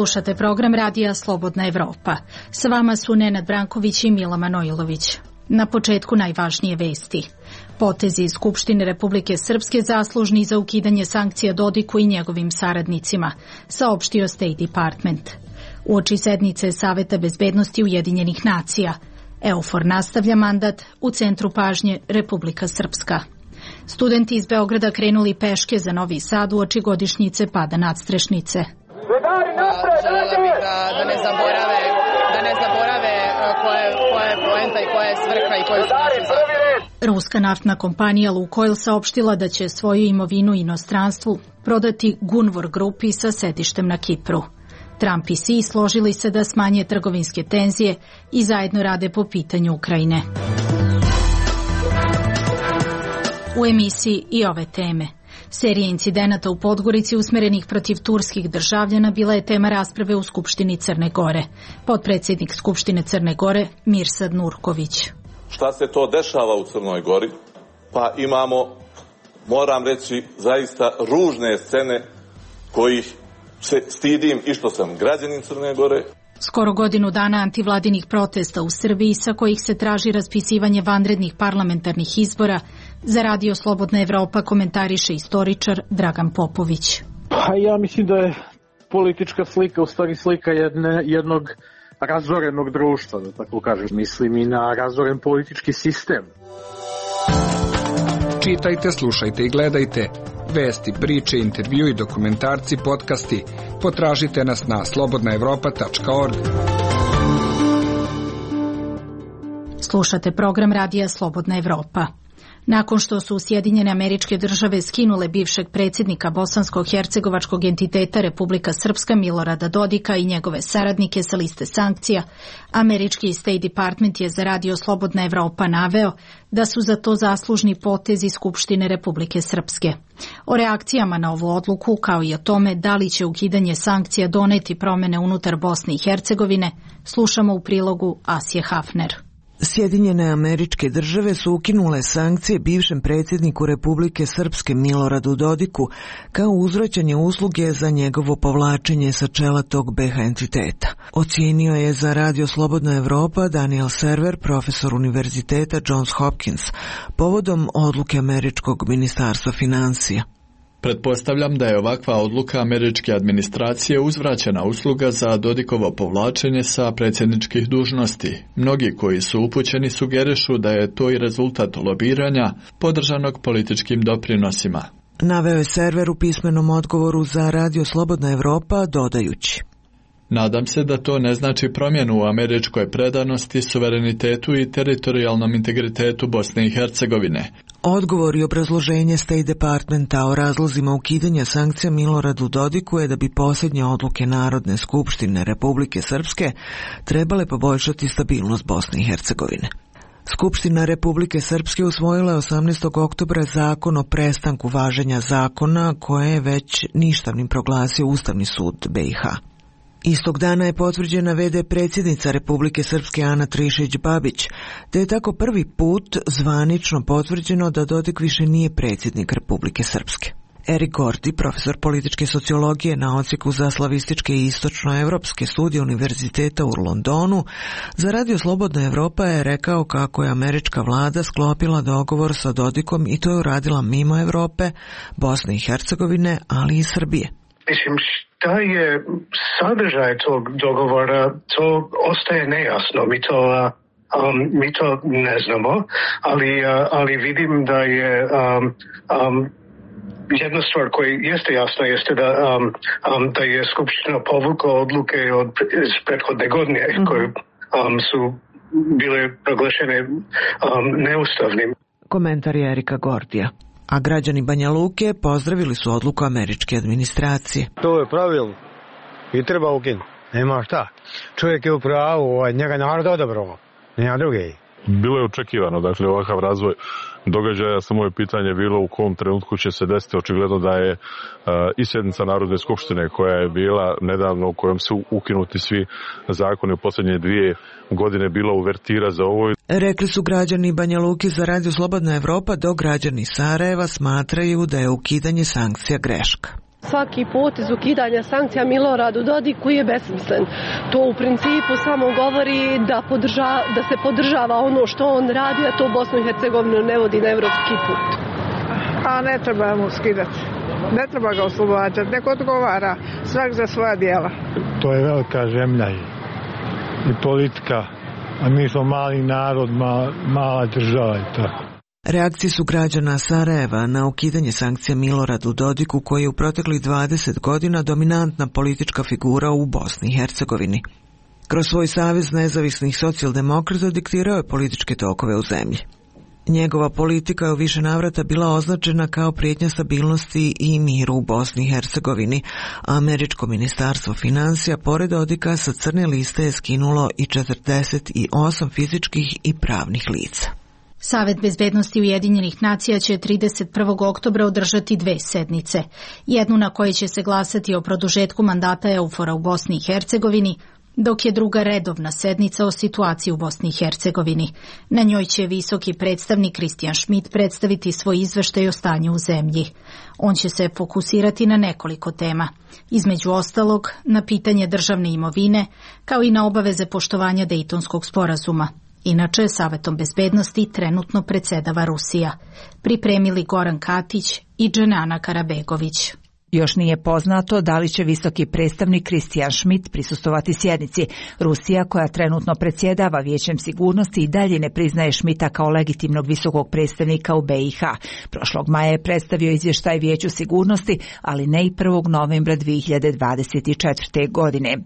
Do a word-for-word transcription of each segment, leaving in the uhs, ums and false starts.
Slušate program radija Slobodna Evropa. Sa vama su Nenad Branković i Mila Manojlović. Na početku najvažnije vesti. Potezi iz Skupštine Republike Srpske zaslužni za ukidanje sankcija Dodiku i njegovim saradnicima, saopštio State Department. Uoči sednice Saveta bezbednosti Ujedinjenih nacija, EUFOR nastavlja mandat, u centru pažnje Republika Srpska. Studenti iz Beograda krenuli peške za Novi Sad uoči godišnjice pada nadstrešnice. Želela bih da, da ne zaborave, da ne zaborave koja je, koja je poenta i koja je svrha i koji su naši zahtjevi. Ruska naftna kompanija Lukoil saopštila da će svoju imovinu inostranstvu prodati Gunvor grupi sa sedištem na Kipru. Trump i Xi složili se da smanje trgovinske tenzije i zajedno rade po pitanju Ukrajine. U emisiji i ove teme. Serija incidenata u Podgorici usmerenih protiv turskih državljana bila je tema rasprave u Skupštini Crne Gore. Potpredsjednik Skupštine Crne Gore Mirsad Nurković. Šta se to dešava u Crnoj Gori? Pa imamo, moram reći, zaista ružne scene kojih se stidim i što sam građanin Crne Gore. Skoro godinu dana antivladinih protesta u Srbiji sa kojih se traži raspisivanje vanrednih parlamentarnih izbora, za Radio Slobodna Evropa komentariše istoričar Dragan Popović. Pa ja mislim da je politička slika u stvari slika jedne, jednog razorenog društva, da tako kažem. Mislim i na razoren politički sistem. Čitajte, slušajte i gledajte. Vesti, priče, intervju i dokumentarci, podcasti. Potražite nas na slobodna evropa tačka org. Slušate program radija Slobodna Evropa. Nakon što su Sjedinjene Američke Države skinule bivšeg predsjednika bosansko-hercegovačkog entiteta Republika Srpska Milorada Dodika i njegove saradnike sa liste sankcija, američki State Department je za Radio Slobodna Evropa naveo da su za to zaslužni potezi Skupštine Republike Srpske. O reakcijama na ovu odluku, kao i o tome da li će ukidanje sankcija doneti promene unutar Bosne i Hercegovine, slušamo u prilogu Asije Hafner. Sjedinjene Američke Države su ukinule sankcije bivšem predsjedniku Republike Srpske Miloradu Dodiku kao uzvraćanje usluge za njegovo povlačenje sa čela tog be ha entiteta. Ocijenio je za Radio Slobodna Evropa Daniel Server, profesor Univerziteta Johns Hopkins, povodom odluke američkog ministarstva financija. Pretpostavljam da je ovakva odluka američke administracije uzvraćena usluga za Dodikovo povlačenje sa predsjedničkih dužnosti. Mnogi koji su upućeni sugerišu da je to i rezultat lobiranja podržanog političkim doprinosima. Naveo je Server u pismenom odgovoru za Radio Slobodna Evropa, dodajući: Nadam se da to ne znači promjenu u američkoj predanosti, suverenitetu i teritorijalnom integritetu Bosne i Hercegovine. Odgovor i obrazloženje State Departmenta o razlozima ukidanja sankcija Miloradu Dodiku je da bi posljednje odluke Narodne skupštine Republike Srpske trebale poboljšati stabilnost Bosne i Hercegovine. Skupština Republike Srpske usvojila je osamnaestog oktobra zakon o prestanku važenja zakona koje je već ništavnim proglasio Ustavni sud be i ha. Istog dana je potvrđena ve de predsjednica Republike Srpske Ana Trišić-Babić, te je tako prvi put zvanično potvrđeno da Dodik više nije predsjednik Republike Srpske. Erik Gordi, profesor političke sociologije na odsjeku za slavističke i istočnoevropske studije Univerziteta u Londonu, za Radio Slobodna Evropa je rekao kako je američka vlada sklopila dogovor sa Dodikom i to je uradila mimo Evrope, Bosne i Hercegovine, ali i Srbije. Mislim, šta je sadržaj tog dogovora, to ostaje nejasno. Mi to, um, mi to ne znamo, ali, uh, ali vidim da je um, um, jedna stvar koja jeste jasna jeste da, um, um, da je Skupština povukla odluke od iz prethodne godine mm-hmm. koje um, su bile proglašene um, neustavnim. Komentar je Erika Gordija. A građani Banja Luke pozdravili su odluku američke administracije. To je pravilno i treba ukinuti. Nema šta. Čovjek je u pravu, njega narod odabrao, nema druge. Bilo je očekivano, dakle, ovakav razvoj događaja, samo je pitanje bilo u kom trenutku će se desiti. Očigledno da je uh, i sjednica Narodne skupštine koja je bila nedavno, u kojom su ukinuti svi zakoni u posljednje dvije godine, bila uvertira za ovo. Rekli su građani Banja Luke za Radio Slobodna Evropa, dok građani Sarajeva smatraju da je ukidanje sankcija greška. Svaki potez ukidanja sankcija Miloradu Dodiku je besmislen. To u principu samo govori da, podrža, da se podržava ono što on radi, a to Bosnu i Hercegovinu ne vodi na evropski put. A ne treba mu skidati. Ne treba ga oslobađati. Neko odgovara svak za svoja djela. To je velika zemlja i, i politika, a mi smo mali narod, ma, mala država i tako. Reakcije su građana Sarajeva na ukidanje sankcija Miloradu Dodiku, koji je u proteklih dvadeset godina dominantna politička figura u Bosni i Hercegovini. Kroz svoj savez nezavisnih socijaldemokrata diktirao je političke tokove u zemlji. Njegova politika je u više navrata bila označena kao prijetnja stabilnosti i miru u Bosni i Hercegovini, a američko ministarstvo financija pored Dodika sa crne liste je skinulo i četrdeset osam fizičkih i pravnih lica. Savet bezbednosti Ujedinjenih nacija će trideset prvog oktobra održati dve sednice. Jednu na kojoj će se glasati o produžetku mandata EUFOR-a u Bosni i Hercegovini, dok je druga redovna sednica o situaciji u Bosni i Hercegovini. Na njoj će visoki predstavnik Christian Schmidt predstaviti svoj izveštaj o stanju u zemlji. On će se fokusirati na nekoliko tema, između ostalog na pitanje državne imovine, kao i na obaveze poštovanja Dejtonskog sporazuma. Inače, Savetom bezbednosti trenutno predsjedava Rusija. Pripremili Goran Katić i Dženana Karabegović. Još nije poznato da li će visoki predstavnik Christian Schmidt prisustovati sjednici. Rusija, koja trenutno predsjedava Vijećem sigurnosti, i dalje ne priznaje Schmidta kao legitimnog visokog predstavnika u B i H. Prošlog maja je predstavio izvještaj Vijeću sigurnosti, ali ne i prvog novembra dvije hiljade dvadeset četvrte. godine.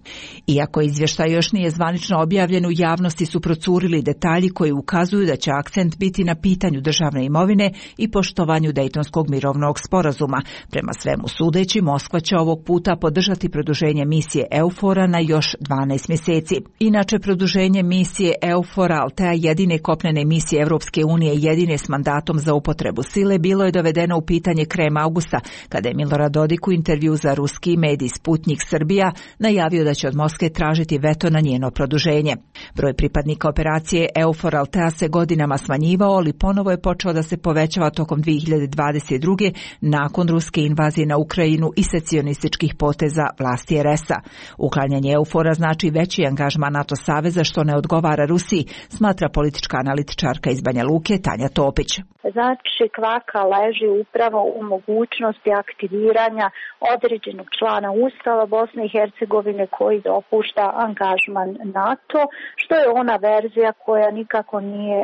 Iako izvještaj još nije zvanično objavljen, u javnosti su procurili detalji koji ukazuju da će akcent biti na pitanju državne imovine i poštovanju Dejtonskog mirovnog sporazuma. Prema svemu sudeći, Moskva će ovog puta podržati produženje misije EUFOR-a na još dvanaest mjeseci. Inače, produženje misije EUFOR-a, Altea, jedine kopnene misije Europske unije, jedine s mandatom za upotrebu sile, bilo je dovedeno u pitanje krajem avgusta, kada je Milorad Dodik u intervju za ruski medij Sputnik Srbija najavio da će od Moskve tražiti veto na njeno produženje. Broj pripadnika operacije EUFOR Altea se godinama smanjivao, ali ponovo je počeo da se povećava tokom dvije hiljade dvadeset druge. nakon ruske invazije na Ukrajinu i secesionističkih poteza vlasti er es a. Uklanjanje EUFOR-a znači veći angažman NATO saveza, što ne odgovara Rusiji, smatra politička analitičarka iz Banja Luke Tanja Topić. Znači, kvaka leži upravo u mogućnosti aktiviranja određenog člana Ustava Bosne i Hercegovine koji dopušta angažman NATO, što je ona verzija koja nikako nije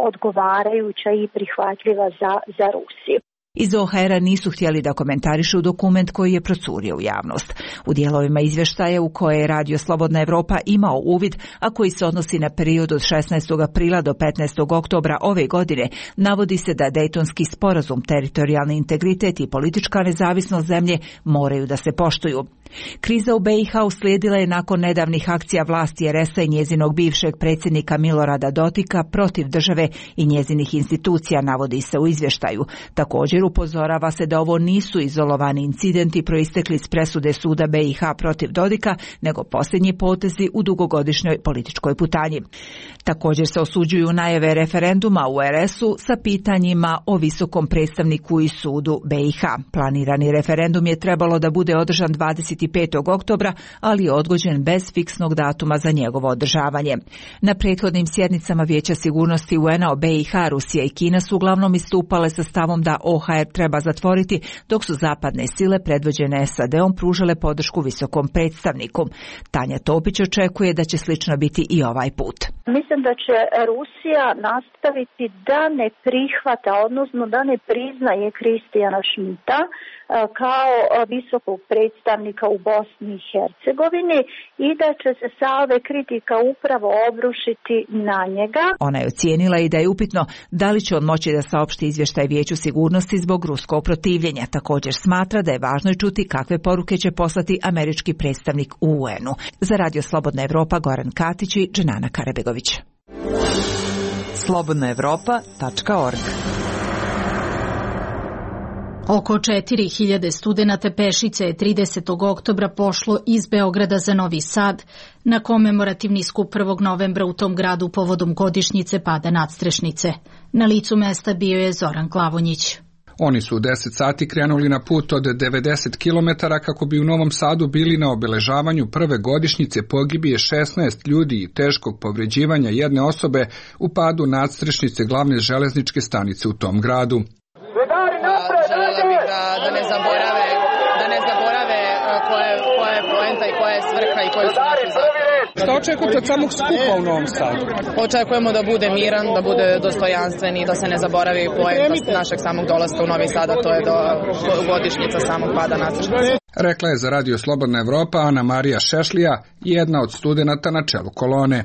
odgovarajuća i prihvatljiva za, za Rusiju. Iz O H R-a nisu htjeli da komentarišu dokument koji je procurio u javnost. U dijelovima izvještaja u koje je Radio Slobodna Evropa imao uvid, a koji se odnosi na period od šesnaestog aprila do petnaestog oktobra ove godine, navodi se da Dejtonski sporazum, teritorijalni integritet i politička nezavisnost zemlje moraju da se poštuju. Kriza u B i H uslijedila je nakon nedavnih akcija vlasti er es a i njezinog bivšeg predsjednika Milorada Dodika protiv države i njezinih institucija, navodi se u izvještaju. Također upozorava se da ovo nisu izolovani incidenti proistekli iz presude suda B i H protiv Dodika, nego posljednji potezi u dugogodišnjoj političkoj putanji. Također se osuđuju najave referenduma u er es u sa pitanjima o visokom predstavniku i sudu B i H. Planirani referendum je trebalo da bude održan dvadeset petog oktobra, ali je odgođen bez fiksnog datuma za njegovo održavanje. Na prethodnim sjednicama Vijeća sigurnosti U N A o B i H, Rusija i Kina su uglavnom istupale sa stavom da O H R treba zatvoriti, dok su zapadne sile predvođene S A D-om pružale podršku visokom predstavniku. Tanja Topić očekuje da će slično biti i ovaj put. Mislim da će Rusija nastaviti da ne prihvata, odnosno da ne priznaje Christiana Schmidta kao visokog predstavnika u Bosni i Hercegovini i da će se salve kritika upravo obrušiti na njega. Ona je ocijenila i da je upitno da li će on moći da saopšti izvještaj Vijeću sigurnosti zbog ruskog protivljenja. Također smatra da je važno čuti kakve poruke će poslati američki predstavnik u U N U. Za Radio Slobodna Evropa, Goran Katić i Dženana Karabegović. slobodna evropa tačka org. Oko četiri hiljade studenata pešice je tridesetog oktobra pošlo iz Beograda za Novi Sad na komemorativni skup prvog novembra u tom gradu povodom godišnjice pada nadstrešnice. Na licu mesta bio je Zoran Glavonjić. Oni su u deset sati krenuli na put od devedeset kilometara kako bi u Novom Sadu bili na obeležavanju prve godišnjice pogibije šesnaest ljudi i teškog povređivanja jedne osobe u padu nadstrešnice glavne železničke stanice u tom gradu. Želela bih da, da ne zaborave, da ne zaborave koja je, koja je poenta i koja je svrha i koji su naši zahtjevi. Šta očekujete od samog skupa u Novom Sadu? Očekujemo da bude miran, da bude dostojanstven i da se ne zaboravi poenta našeg samog dolaska u Novi Sad, a to je do godišnjica samog pada nadstrešnice. Rekla je za Radio Slobodna Evropa Ana Marija Šešlija, jedna od studenata na čelu kolone.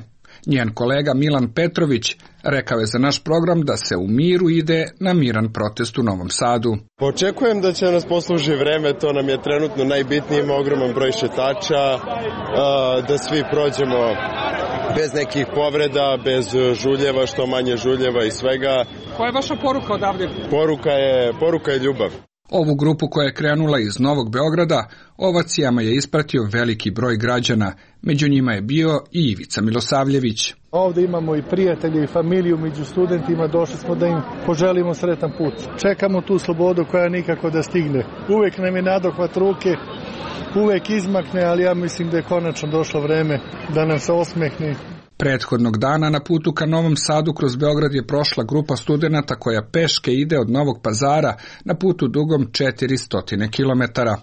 Njen kolega Milan Petrović rekao je za naš program da se u miru ide na miran protest u Novom Sadu. Očekujem da će nas posluži vreme, to nam je trenutno najbitnije, ima ogroman broj šetača, da svi prođemo bez nekih povreda, bez žuljeva, što manje žuljeva i svega. Koja je vaša poruka odavde? Poruka je, poruka je ljubav. Ovu grupu koja je krenula iz Novog Beograda ovacijama je ispratio veliki broj građana, među njima je bio i Ivica Milosavljević. Ovde imamo i prijatelje i familiju među studentima, došli smo da im poželimo sretan put. Čekamo tu slobodu koja nikako da stigne. Uvek nam je nadohvat ruke, uvek izmakne, ali ja mislim da je konačno došlo vreme da nam se osmehne. Prethodnog dana na putu ka Novom Sadu kroz Beograd je prošla grupa studenata koja peške ide od Novog Pazara na putu dugom četiristo kilometara.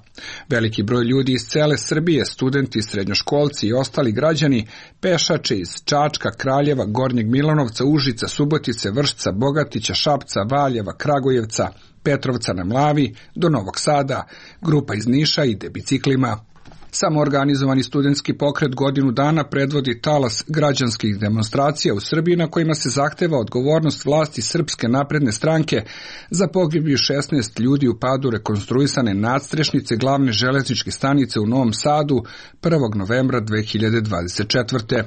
Veliki broj ljudi iz cele Srbije, studenti, srednjoškolci i ostali građani, pešače iz Čačka, Kraljeva, Gornjeg Milanovca, Užica, Subotice, Vršca, Bogatića, Šapca, Valjeva, Kragujevca, Petrovca na Mlavi do Novog Sada. Grupa iz Niša ide biciklima. Samoorganizovani studentski pokret godinu dana predvodi talas građanskih demonstracija u Srbiji na kojima se zahteva odgovornost vlasti Srpske napredne stranke za pogibiju šesnaest ljudi u padu rekonstruisane nadstrešnice glavne železničke stanice u Novom Sadu prvog novembra dve hiljade dvadeset četvrte.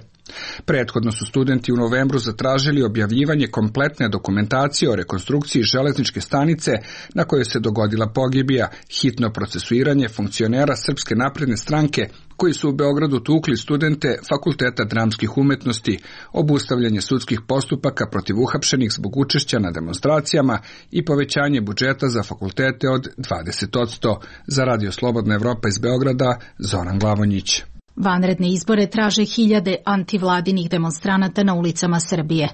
Prethodno su studenti u novembru zatražili objavljivanje kompletne dokumentacije o rekonstrukciji železničke stanice na kojoj se dogodila pogibija, hitno procesuiranje funkcionera Srpske napredne stranke koji su u Beogradu tukli studente Fakulteta dramskih umetnosti, obustavljanje sudskih postupaka protiv uhapšenih zbog učešća na demonstracijama i povećanje budžeta za fakultete od dvadeset posto. Za Radio Slobodna Evropa iz Beograda, Zoran Glavonjić. Vanredne izbore traže hiljade antivladinih demonstranata na ulicama Srbije.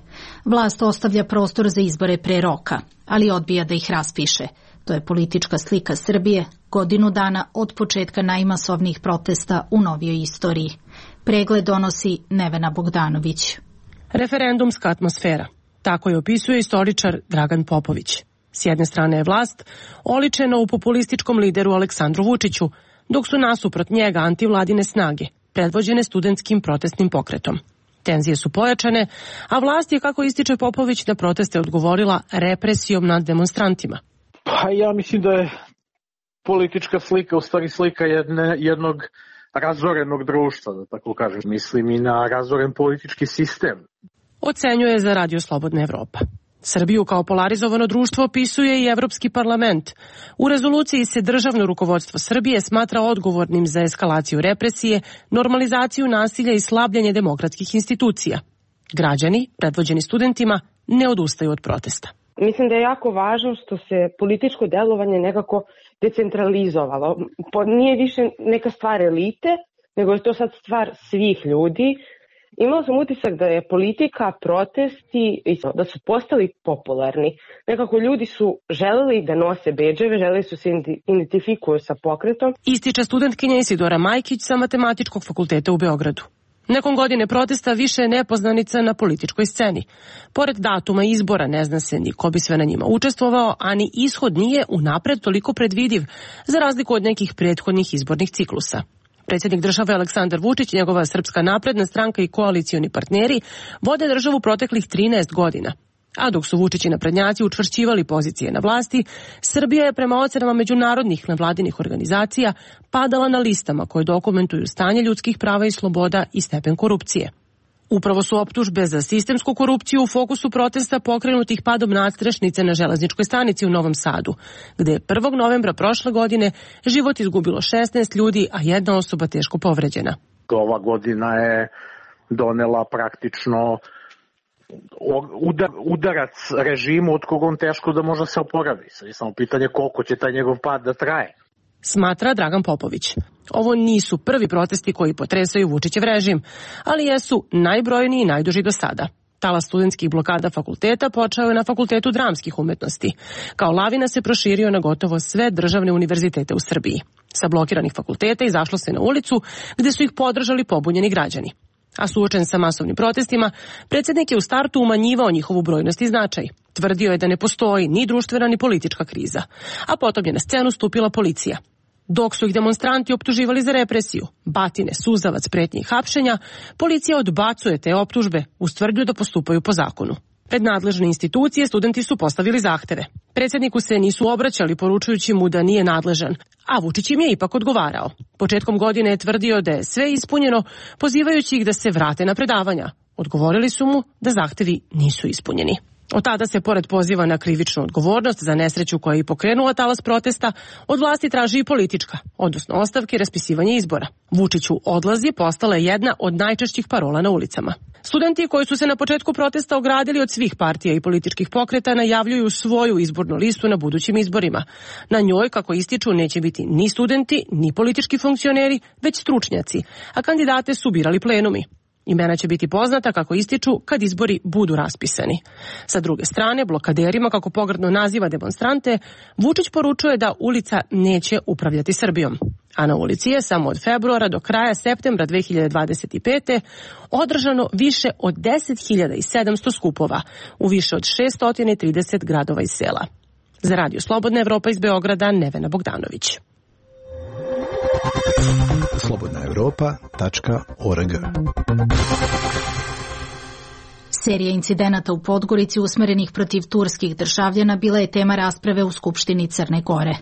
Vlast ostavlja prostor za izbore pre roka, ali odbija da ih raspiše. To je politička slika Srbije, godinu dana od početka najmasovnijih protesta u novijoj istoriji. Pregled donosi Nevena Bogdanović. Referendumska atmosfera. Tako je opisuje istoričar Dragan Popović. S jedne strane je vlast oličena u populističkom lideru Aleksandru Vučiću, dok su nasuprot njega antivladine snage, predvođene studentskim protestnim pokretom. Tenzije su pojačane, a vlast je, kako ističe Popović, na proteste odgovorila represijom nad demonstrantima. Pa ja mislim da je politička slika u stvari slika jedne, jednog razorenog društva, da tako kažem. Mislim i na razoren politički sistem. Ocenjuje za Radio Slobodna Evropa. Srbiju kao polarizovano društvo opisuje i Evropski parlament. U rezoluciji se državno rukovodstvo Srbije smatra odgovornim za eskalaciju represije, normalizaciju nasilja i slabljenje demokratskih institucija. Građani, predvođeni studentima, ne odustaju od protesta. Mislim da je jako važno što se političko delovanje nekako decentralizovalo. Nije više neka stvar elite, nego je to sad stvar svih ljudi. Imala sam utisak da je politika, protesti, da su postali popularni. Nekako ljudi su želeli da nose bedževe, želeli su se identifikuju sa pokretom. Ističe studentkinja Isidora Majkić sa Matematičkog fakulteta u Beogradu. Nekom godine protesta više je nepoznanica na političkoj sceni. Pored datuma izbora ne zna se ni ko bi sve na njima učestvovao, a ni ishod nije unapred toliko predvidiv, za razliku od nekih prethodnih izbornih ciklusa. Predsjednik države Aleksandar Vučić, njegova Srpska napredna stranka i koalicioni partneri vode državu proteklih trinaest godina. A dok su Vučić i naprednjaci učvršćivali pozicije na vlasti, Srbija je prema ocenama međunarodnih nevladinih organizacija padala na listama koje dokumentuju stanje ljudskih prava i sloboda i stepen korupcije. Upravo su optužbe za sistemsku korupciju u fokusu protesta pokrenutih padom nadstrešnice na železničkoj stanici u Novom Sadu, gde je prvog novembra prošle godine život izgubilo šesnaest ljudi, a jedna osoba teško povređena. Ova godina je donela praktično udar, udarac režimu od kog on teško da može se oporavi. Sad je samo pitanje koliko će taj njegov pad da traje. Smatra Dragan Popović. Ovo nisu prvi protesti koji potresaju Vučićev režim, ali jesu najbrojniji i najduži do sada. Talas studentskih blokada fakulteta počeo je na Fakultetu dramskih umetnosti. Kao lavina se proširio na gotovo sve državne univerzitete u Srbiji. Sa blokiranih fakulteta izašlo se na ulicu gde su ih podržali pobunjeni građani. A suočen sa masovnim protestima, predsjednik je u startu umanjivao njihovu brojnost i značaj. Tvrdio je da ne postoji ni društvena ni politička kriza. A potom je na scenu stupila policija. Dok su ih demonstranti optuživali za represiju, batine, suzavac, pretnje i hapšenja, policija odbacuje te optužbe uz tvrdnju da postupaju po zakonu. Pred nadležne institucije studenti su postavili zahteve. Predsjedniku se nisu obraćali poručujući mu da nije nadležan, a Vučić im je ipak odgovarao. Početkom godine je tvrdio da je sve ispunjeno, pozivajući ih da se vrate na predavanja. Odgovorili su mu da zahtevi nisu ispunjeni. Od tada se, pored poziva na krivičnu odgovornost za nesreću koja je i pokrenula talas protesta, od vlasti traži i politička, odnosno ostavke i raspisivanje izbora. Vučiću odlazi postala je jedna od najčešćih parola na ulicama. Studenti koji su se na početku protesta ogradili od svih partija i političkih pokreta najavljuju svoju izbornu listu na budućim izborima. Na njoj, kako ističu, neće biti ni studenti, ni politički funkcioneri, već stručnjaci, a kandidate su birali plenumi. Imena će biti poznata, kako ističu, kad izbori budu raspisani. Sa druge strane, blokaderima, kako pogrdno naziva demonstrante, Vučić poručuje da ulica neće upravljati Srbijom. A na ulici je samo od februara do kraja septembra dve hiljade dvadeset pete. održano više od deset hiljada sedamsto skupova u više od šesto trideset gradova i sela. Za Radio Slobodna Evropa iz Beograda, Nevena Bogdanović. slobodna evropa tačka org. Serija incidenata u Podgorici usmerenih protiv turskih državljana bila je tema rasprave u Skupštini Crne Gore.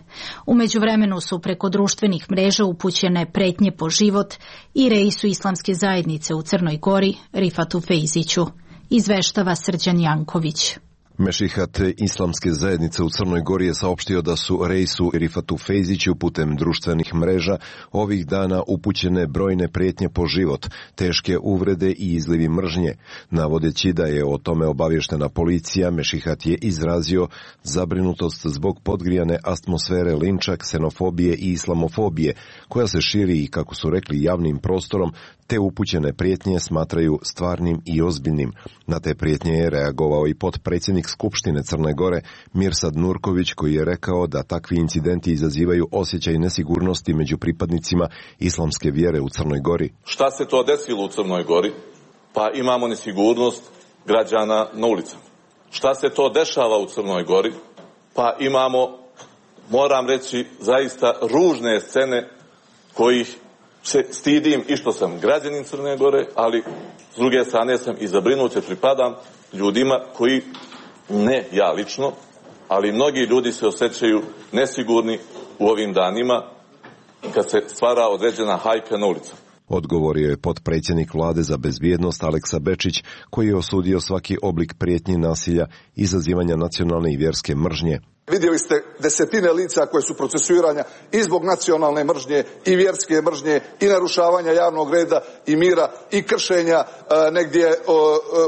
U međuvremenu su preko društvenih mreža upućene pretnje po život i reisu islamske zajednice u Crnoj Gori, Rifatu Fejziću. Izveštava Srđan Janković. Mešihat islamske zajednice u Crnoj Gori je saopštio da su reisu Rifatu Fejziću putem društvenih mreža ovih dana upućene brojne prijetnje po život, teške uvrede i izlivi mržnje. Navodeći da je o tome obavještena policija, Mešihat je izrazio zabrinutost zbog podgrijane atmosfere linča, ksenofobije i islamofobije, koja se širi i, kako su rekli, javnim prostorom, te upućene prijetnje smatraju stvarnim i ozbiljnim. Na te prijetnje je reagovao i potpredsjednik Skupštine Crne Gore Mirsad Nurković, koji je rekao da takvi incidenti izazivaju osjećaj nesigurnosti među pripadnicima islamske vjere u Crnoj Gori. Šta se to desilo u Crnoj Gori? Pa imamo nesigurnost građana na ulicama. Šta se to dešava u Crnoj Gori? Pa imamo, moram reći, zaista ružne scene kojih se stidim i što sam građanin Crne Gore, ali s druge strane sam i zabrinut jer pripadam ljudima koji, ne ja lično, ali mnogi ljudi se osjećaju nesigurni u ovim danima kad se stvara određena hajka na ulicama. Odgovorio je potpredsjednik vlade za bezbjednost Aleksa Bečić, koji je osudio svaki oblik prijetnji, nasilja, izazivanja nacionalne i vjerske mržnje. Vidjeli ste desetine lica koje su procesuiranja i zbog nacionalne mržnje i vjerske mržnje i narušavanja javnog reda i mira i kršenja e, negdje e,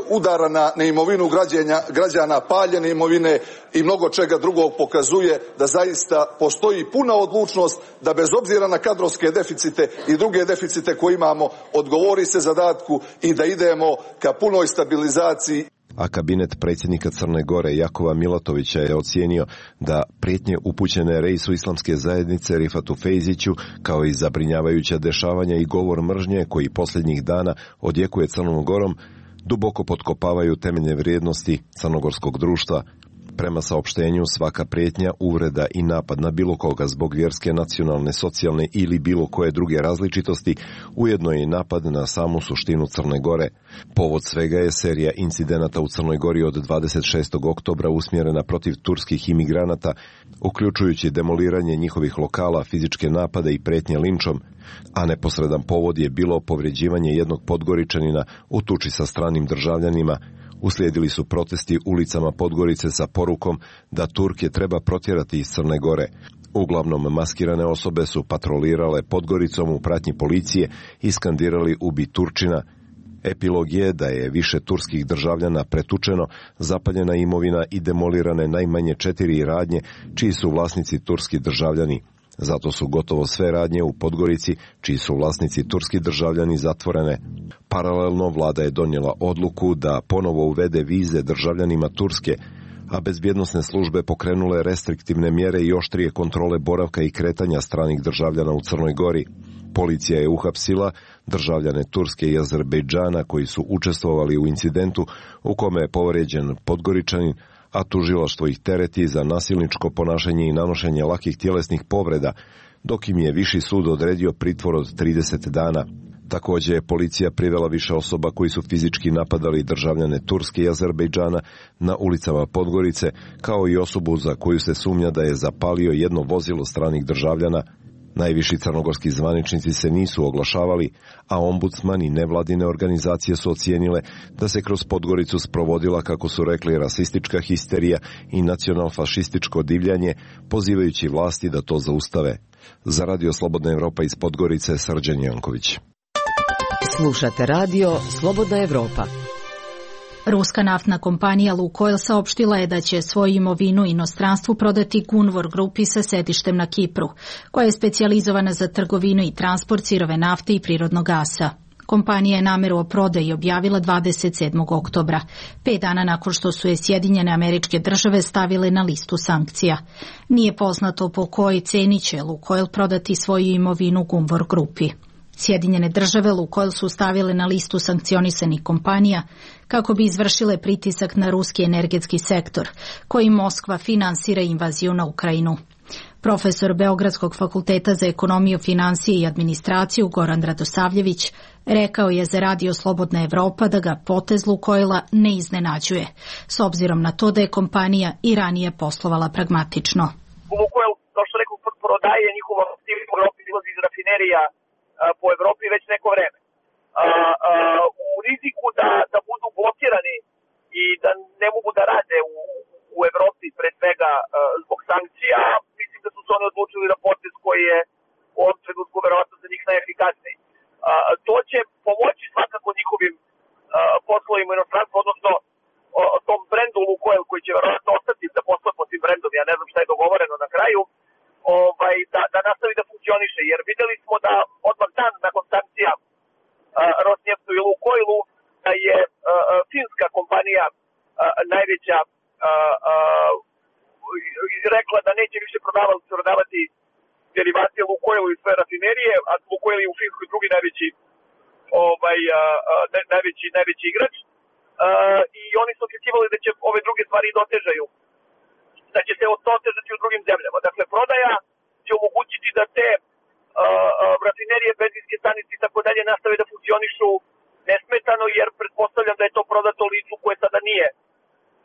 udara na, na imovinu građenja, građana, paljene imovine i mnogo čega drugog, pokazuje da zaista postoji puna odlučnost da bez obzira na kadrovske deficite i druge deficite koje imamo odgovori se zadatku i da idemo ka punoj stabilizaciji. A kabinet predsjednika Crne Gore Jakova Milatovića je ocijenio da prijetnje upućene reisu islamske zajednice Rifatu Fejziću, kao i zabrinjavajuća dešavanja i govor mržnje koji posljednjih dana odjekuje Crnom Gorom, duboko potkopavaju temeljne vrijednosti crnogorskog društva. Prema saopštenju, svaka prijetnja, uvreda i napad na bilo koga zbog vjerske, nacionalne, socijalne ili bilo koje druge različitosti ujedno je i napad na samu suštinu Crne Gore. Povod svega je serija incidenata u Crnoj Gori od dvadeset šestog oktobra usmjerena protiv turskih imigranata, uključujući demoliranje njihovih lokala, fizičke napade i prijetnje linčom, a neposredan povod je bilo povređivanje jednog Podgoričanina u tuči sa stranim državljanima. Uslijedili su protesti ulicama Podgorice sa porukom da Turke treba protjerati iz Crne Gore. Uglavnom maskirane osobe su patrolirale Podgoricom u pratnji policije i skandirali "Ubi Turčina". Epilog je da je više turskih državljana pretučeno, zapaljena imovina i demolirane najmanje četiri radnje čiji su vlasnici turski državljani. Zato su gotovo sve radnje u Podgorici, čiji su vlasnici turski državljani, zatvorene. Paralelno vlada je donijela odluku da ponovo uvede vize državljanima Turske, a bezbjednosne službe pokrenule restriktivne mjere i oštrije kontrole boravka i kretanja stranih državljana u Crnoj Gori. Policija je uhapsila državljane Turske i Azerbejdžana koji su učestvovali u incidentu u kome je povrijeđen Podgoričanin, a tužilaštvo ih tereti za nasilničko ponašanje i nanošenje lakih tjelesnih povreda, dok im je viši sud odredio pritvor od trideset dana. Također je policija privela više osoba koji su fizički napadali državljane Turske i Azerbejdžana na ulicama Podgorice, kao i osobu za koju se sumnja da je zapalio jedno vozilo stranih državljana. Najviši crnogorski zvaničnici se nisu oglašavali, a ombudsman i nevladine organizacije su ocijenile da se kroz Podgoricu sprovodila, kako su rekli, rasistička histerija i nacionalfašističko divljanje, pozivajući vlasti da to zaustave. Za Radio Slobodna Evropa iz Podgorice, Srđan Janković. Slušate radio Slobodna Evropa. Ruska naftna kompanija Lukoil saopštila je da će svoju imovinu inostranstvu prodati Gunvor grupi sa sedištem na Kipru, koja je specijalizovana za trgovinu i transport sirove nafte i prirodnog gasa. Kompanija je nameru o prodaji objavila dvadeset sedmog oktobra, pet dana nakon što su je Sjedinjene Američke Države stavile na listu sankcija. Nije poznato po kojoj ceni će Lukoil prodati svoju imovinu Gunvor grupi. Sjedinjene Države Lukoil su stavile na listu sankcionisanih kompanija kako bi izvršile pritisak na ruski energetski sektor, koji Moskva finansira invaziju na Ukrajinu. Profesor Beogradskog fakulteta za ekonomiju, finansije i administraciju Goran Radosavljević rekao je za Radio Slobodna Evropa da ga potez Lukoila ne iznenađuje, s obzirom na to da je kompanija i ranije poslovala pragmatično. Lukoil, kao što rekao, prodaje njihova aktivnost u Evropi, izlazi iz rafinerija po Evropi već neko vreme. A, a, u riziku da, da budu blokirani i da ne mogu da rade u, u Evropi, pre svega a, zbog sankcija, mislim da su se oni odlučili na potez koji je u ovom trenutku verovatno za njih najefikasniji. A, to će pomoći svakako njihovim a, poslovima u inostranstvu, odnosno o, o tom brendu Lukoil koji će verovatno ostati da posluje pod tim brendom, ja ne znam šta je dogovoreno na kraju, ovaj, da, da nastavi da funkcioniše, jer videli smo da odmah dan nakon sankcija uh, Rosneftu i Lukoilu da je uh, finska kompanija uh, najveća uh, uh, rekla da neće više prodavati, prodavati derivate Lukoilu i svoje rafinerije, a Lukoil je u Finskoj drugi najveći, ovaj, uh, uh, najveći, najveći igrač uh, i oni su očekivali da će ove druge stvari dotežaju, da će se otežati u drugim zemljama. Dakle, prodaja će omogućiti da te uh, uh, rafinerije, benzinske stanice i tako dalje nastave da funkcionišu nesmetano, jer pretpostavljam da je to prodato licu koje sada nije,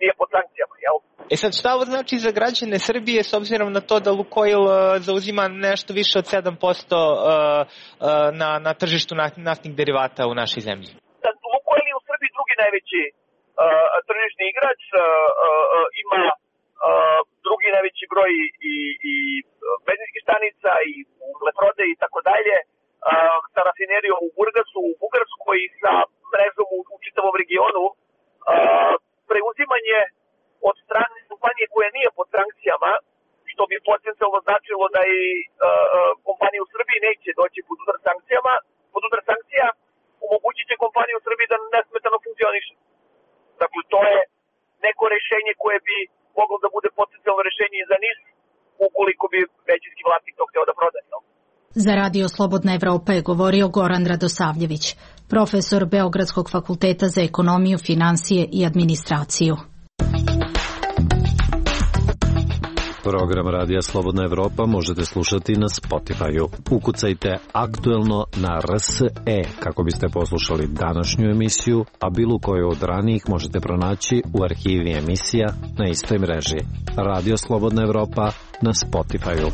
nije pod sankcijama, jel? E sad, šta ovo znači za građane Srbije s obzirom na to da Lukoil uh, zauzima nešto više od sedam posto uh, uh, na, na tržištu naftnih derivata u našoj zemlji? Da, Lukoil je u Srbiji drugi najveći uh, tržišni igrač, uh, uh, ima Uh, drugi najveći broj i, i benzinskih stanica i leprode i tako dalje, sa rafinerijom u Burgasu, u Bugarskoj i sa mrežom u, u čitavom regionu. Uh, preuzimanje od strane kompanije koja nije pod sankcijama, što bi potencijalno značilo da i uh, kompanije u Srbiji neće doći pod udar sankcijama, pod udar sankcija omogućit će kompaniju u Srbiji da nesmetano funkcioniše. Dakle, to je neko rešenje koje bi moglo da bude potencijalno rešenje i za N I S ukoliko bi većinski vlasnik to hteo da prodaje. Za Radio Slobodna Evropa je govorio Goran Radosavljević, profesor Beogradskog fakulteta za ekonomiju, finansije i administraciju. Program Radija Slobodna Evropa možete slušati na Spotify-u. Ukucajte aktuelno na R S E kako biste poslušali današnju emisiju, a bilo koju od ranijih možete pronaći u arhivi emisija na istoj mreži. Radio Slobodna Evropa na Spotify-u.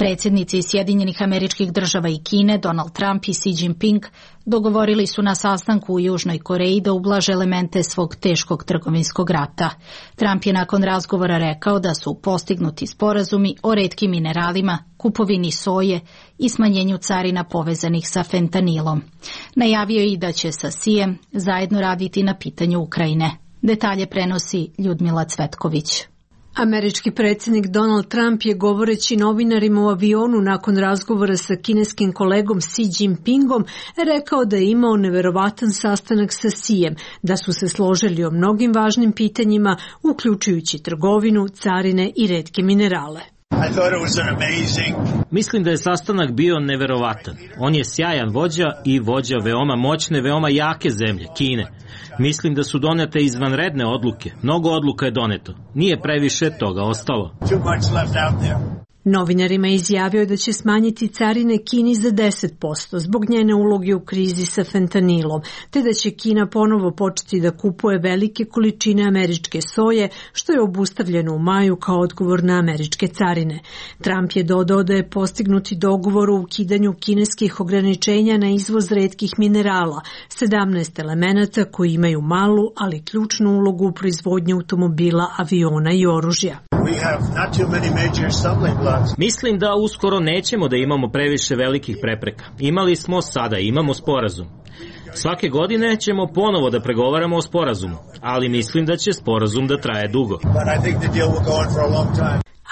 Predsjednici Sjedinjenih Američkih Država i Kine, Donald Trump i Xi Jinping, dogovorili su na sastanku u Južnoj Koreji da ublaže elemente svog teškog trgovinskog rata. Trump je nakon razgovora rekao da su postignuti sporazumi o retkim mineralima, kupovini soje i smanjenju carina povezanih sa fentanilom. Najavio je i da će sa Xijem zajedno raditi na pitanju Ukrajine. Detalje prenosi Ljudmila Cvetković. Američki predsjednik Donald Trump je govoreći novinarima u avionu nakon razgovora sa kineskim kolegom Xi Jinpingom rekao da je imao neverovatan sastanak sa Xijem, da su se složili o mnogim važnim pitanjima, uključujući trgovinu, carine i retke minerale. Mislim da je sastanak bio neverovatan. On je sjajan vođa i vođa veoma moćne, veoma jake zemlje, Kine. Mislim da su donete izvanredne odluke. Mnogo odluka je doneto. Nije previše toga ostalo. Novinarima je izjavio da će smanjiti carine Kini za deset posto zbog njene uloge u krizi sa fentanilom, te da će Kina ponovo početi da kupuje velike količine američke soje, što je obustavljeno u maju kao odgovor na američke carine. Trump je dodao da je postignuti dogovor o ukidanju kineskih ograničenja na izvoz retkih minerala, sedamnaest elemenata koji imaju malu, ali ključnu ulogu u proizvodnji automobila, aviona i oružja. Mislim da uskoro nećemo da imamo previše velikih prepreka. Imali smo, sada imamo sporazum. Svake godine ćemo ponovo da pregovaramo o sporazumu, ali mislim da će sporazum da traje dugo.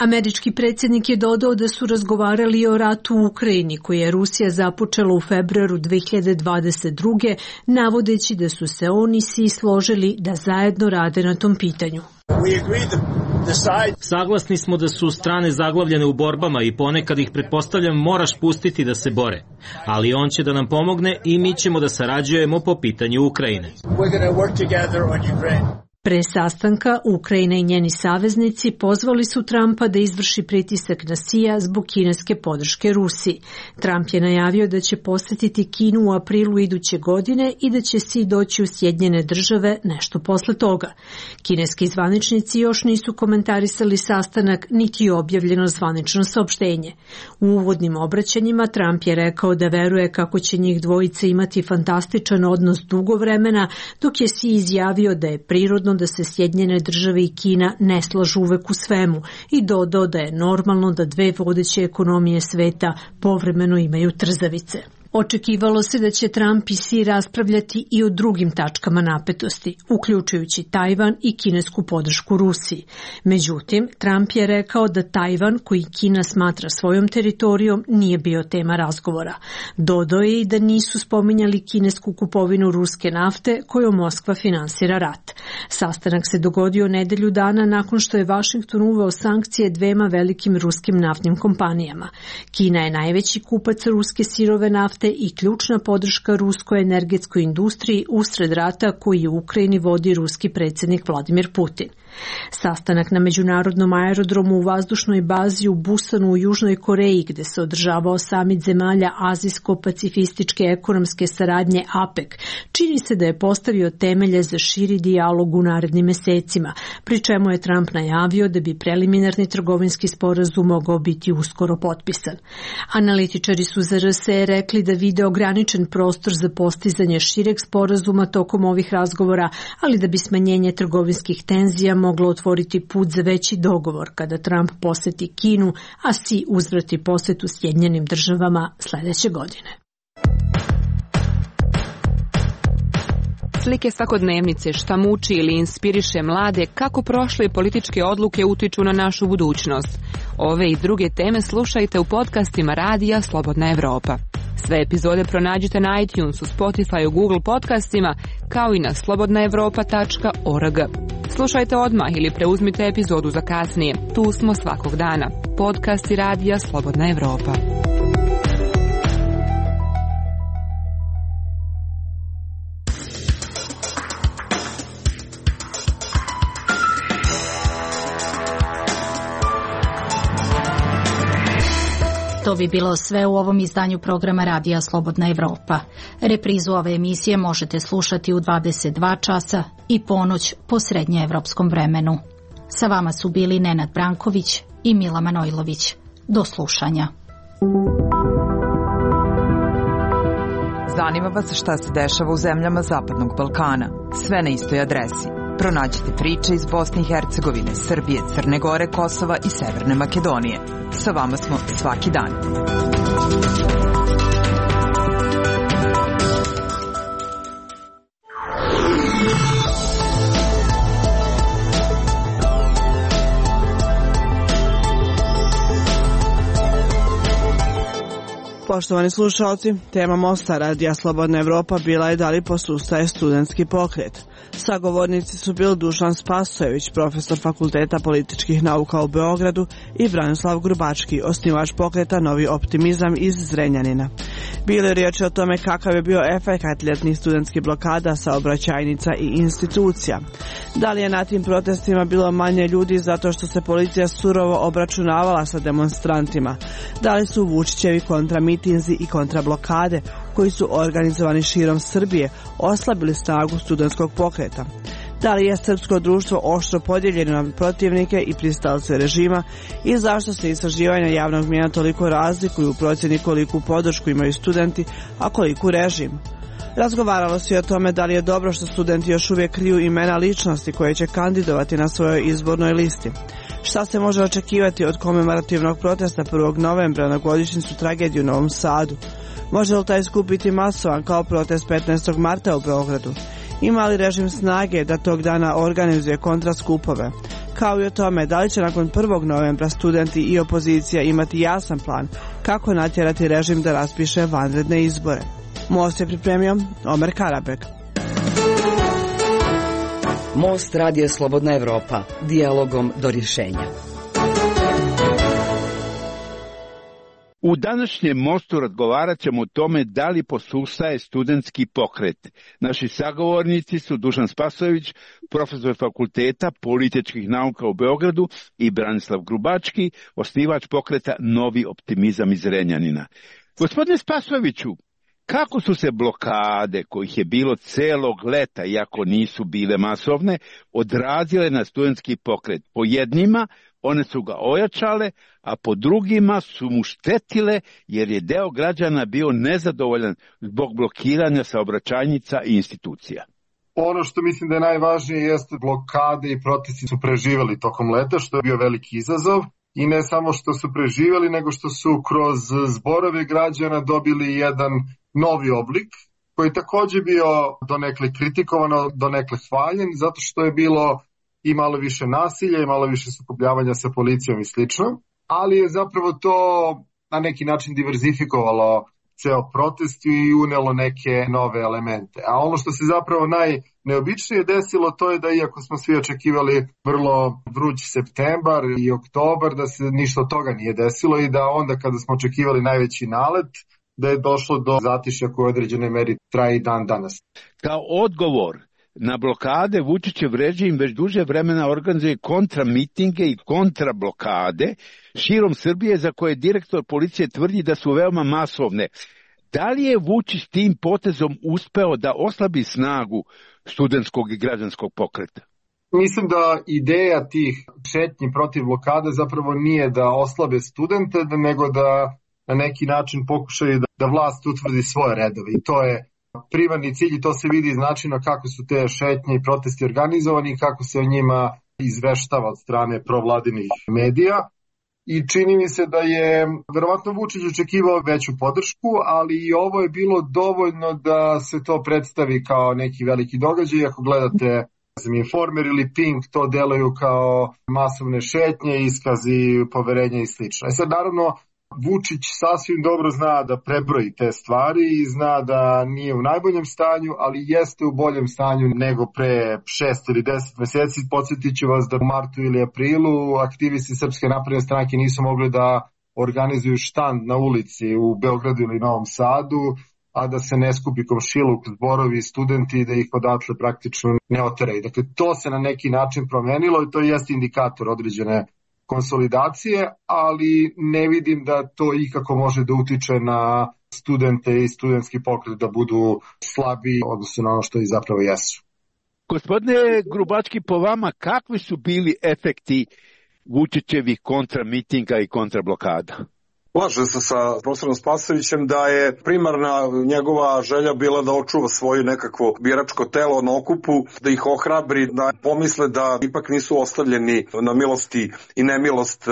Američki predsjednik je dodao da su razgovarali o ratu u Ukrajini, koji je Rusija započela u februaru dve hiljade dvadeset druge, navodeći da su se oni svi složili da zajedno rade na tom pitanju. Saglasni smo da su strane zaglavljene u borbama i ponekad ih, pretpostavljam, moraš pustiti da se bore. Ali on će da nam pomogne i mi ćemo da sarađujemo po pitanju Ukrajine. Pre sastanka, Ukrajina i njeni saveznici pozvali su Trumpa da izvrši pritisak na Xija zbog kineske podrške Rusiji. Trump je najavio da će posetiti Kinu u aprilu iduće godine i da će Xi doći u Sjedinjene Države nešto posle toga. Kineski zvaničnici još nisu komentarisali sastanak, niti je objavljeno zvanično saopštenje. U uvodnim obraćanjima Trump je rekao da veruje kako će njih dvojica imati fantastičan odnos dugo vremena, dok je Xi izjavio da je prirodno da se Sjedinjene Države i Kina ne slažu uvek u svemu i dodao da je normalno da dve vodeće ekonomije sveta povremeno imaju trzavice. Očekivalo se da će Trump i Xi raspravljati i o drugim tačkama napetosti, uključujući Tajvan i kinesku podršku Rusiji. Međutim, Trump je rekao da Tajvan, koji Kina smatra svojom teritorijom, nije bio tema razgovora. Dodao je i da nisu spominjali kinesku kupovinu ruske nafte kojom Moskva finansira rat. Sastanak se dogodio nedelju dana nakon što je Vašington uveo sankcije dvema velikim ruskim naftnim kompanijama. Kina je najveći kupac ruske sirove nafte i ključna podrška ruskoj energetskoj industriji usred rata koji u Ukrajini vodi ruski predsjednik Vladimir Putin. Sastanak na međunarodnom aerodromu u vazdušnoj bazi u Busanu u Južnoj Koreji, gde se održavao samit zemalja Azijsko-pacifističke ekonomske saradnje A P E C, čini se da je postavio temelje za širi dijalog u narednim mesecima, pri čemu je Trump najavio da bi preliminarni trgovinski sporazum mogao biti uskoro potpisan. Analitičari su za R S E rekli da vide ograničen prostor za postizanje šireg sporazuma tokom ovih razgovora, ali da bi smanjenje trgovinskih tenzija moglo otvoriti put za veći dogovor kada Trump poseti Kinu, a Xi uzvrati posetu Sjedinjenim Državama sledeće godine. Slike svakodnevnice, šta muči ili inspiriše mlade, kako prošle političke odluke utiču na našu budućnost. Ove i druge teme slušajte u podcastima Radija Slobodna Evropa. Sve epizode pronađite na iTunesu, Spotify, Google podcastima, kao i na slobodna evropa tačka org. Slušajte odmah ili preuzmite epizodu za kasnije. Tu smo svakog dana. Podcasti Radija Slobodna Evropa. To bi bilo sve u ovom izdanju programa Radija Slobodna Evropa. Reprizu ove emisije možete slušati u dvadeset dva časa i ponoć po srednjeevropskom vremenu. Sa vama su bili Nenad Branković i Mila Manojlović. Do slušanja. Zanima vas šta se dešava u zemljama Zapadnog Balkana. Sve na istoj adresi. Pronađite priče iz Bosne i Hercegovine, Srbije, Crne Gore, Kosova i Severne Makedonije. Sa vama smo svaki dan. Poštovani slušalci, tema mosta Radija Slobodna Evropa bila je da li posustaje studentski pokret. Sagovornici su bili Dušan Spasojević, profesor Fakulteta političkih nauka u Beogradu, i Branislav Grubački, osnivač pokreta Novi optimizam iz Zrenjanina. Bilo je riječ o tome kakav je bio efekat ljetnih studentskih blokada, saobraćajnica i institucija. Da li je na tim protestima bilo manje ljudi zato što se policija surovo obračunavala sa demonstrantima? Da li su Vučićevi kontramitinzi i kontrablokade, koji su organizovani širom Srbije, oslabili snagu studentskog pokreta? Da li je srpsko društvo oštro podijeljeno na protivnike i pristalce režima i zašto se istraživanja javnog mnijenja toliko razlikuju u procjeni koliku podršku imaju studenti, a koliku režim? Razgovaralo se i o tome da li je dobro što studenti još uvijek kriju imena ličnosti koje će kandidovati na svojoj izbornoj listi. Šta se može očekivati od komemorativnog protesta prvog novembra na godišnjicu tragedije u Novom Sadu? Može li taj skup biti masovan kao protest petnaestog marta u Beogradu? Ima li režim snage da tog dana organizuje kontraskupove? Kao i o tome da li će nakon prvog novembra studenti i opozicija imati jasan plan kako natjerati režim da raspiše vanredne izbore. Most je pripremio Omer Karabek. Most Radija Slobodna Evropa. Dijalogom do rješenja. U današnjem mostu razgovarat ćemo o tome da li posustaje studentski pokret. Naši sagovornici su Dušan Spasojević, profesor Fakulteta političkih nauka u Beogradu, i Branislav Grubački, osnivač pokreta Novi optimizam iz Zrenjanina. Gospodine Spasojeviću, kako su se blokade, kojih je bilo celog leta, iako nisu bile masovne, odrazile na studentski pokret? Po jednima one su ga ojačale, a po drugima su mu štetile jer je deo građana bio nezadovoljan zbog blokiranja saobraćajnica i institucija. Ono što mislim da je najvažnije jeste blokade i protesti su preživjeli tokom leta, što je bio veliki izazov. I ne samo što su preživjeli, nego što su kroz zborove građana dobili jedan novi oblik, koji je također bio donekle kritikovano, donekle hvaljen, zato što je bilo i malo više nasilja i malo više sukobljavanja sa policijom i slično, ali je zapravo to na neki način diverzifikovalo ceo protest i unelo neke nove elemente. A ono što se zapravo najneobičnije desilo, to je da iako smo svi očekivali vrlo vruć septembar i oktobar, da se ništa od toga nije desilo i da onda kada smo očekivali najveći nalet, da je došlo do zatišja koje u određenoj meri traje i dan danas. Kao odgovor na blokade, Vučićev režim već duže vremena organizuje kontramitinge i kontrablokade širom Srbije, za koje direktor policije tvrdi da su veoma masovne. Da li je Vučić tim potezom uspeo da oslabi snagu studentskog i građanskog pokreta? Mislim da ideja tih šetnji protiv blokade zapravo nije da oslabe studente, nego da na neki način pokušaju da, da vlast utvrdi svoje redove. I to je primarni cilj i to se vidi iz načina kako su te šetnje i protesti organizovani i kako se o njima izveštava od strane provladinih medija. I čini mi se da je verovatno Vučić očekivao veću podršku, ali i ovo je bilo dovoljno da se to predstavi kao neki veliki događaj. Ako gledate Informer ili Pink, to deluju kao masovne šetnje, iskazi poverenja i slično. I sad naravno Vučić sasvim dobro zna da prebroji te stvari i zna da nije u najboljem stanju, ali jeste u boljem stanju nego pre šest ili deset meseci. Podsjetit ću vas da u martu ili aprilu aktivisti Srpske napredne stranke nisu mogli da organizuju štand na ulici u Beogradu ili Novom Sadu, a da se ne skupi komšiluk, zborovi i studenti i da ih odatle praktično ne oteraju. Dakle, to se na neki način promenilo i to jeste indikator određene konsolidacije, ali ne vidim da to ikako može da utiče na studente i studentski pokret da budu slabi odnosno na ono što i zapravo jesu. Gospodine Grubački, po vama kakvi su bili efekti Vučićevih kontramitinga i kontrablokada? Slažem se sa profesorom Spasojevićem da je primarna njegova želja bila da očuva svoje nekakvo biračko telo na okupu, da ih ohrabri, da pomisle da ipak nisu ostavljeni na milosti i nemilost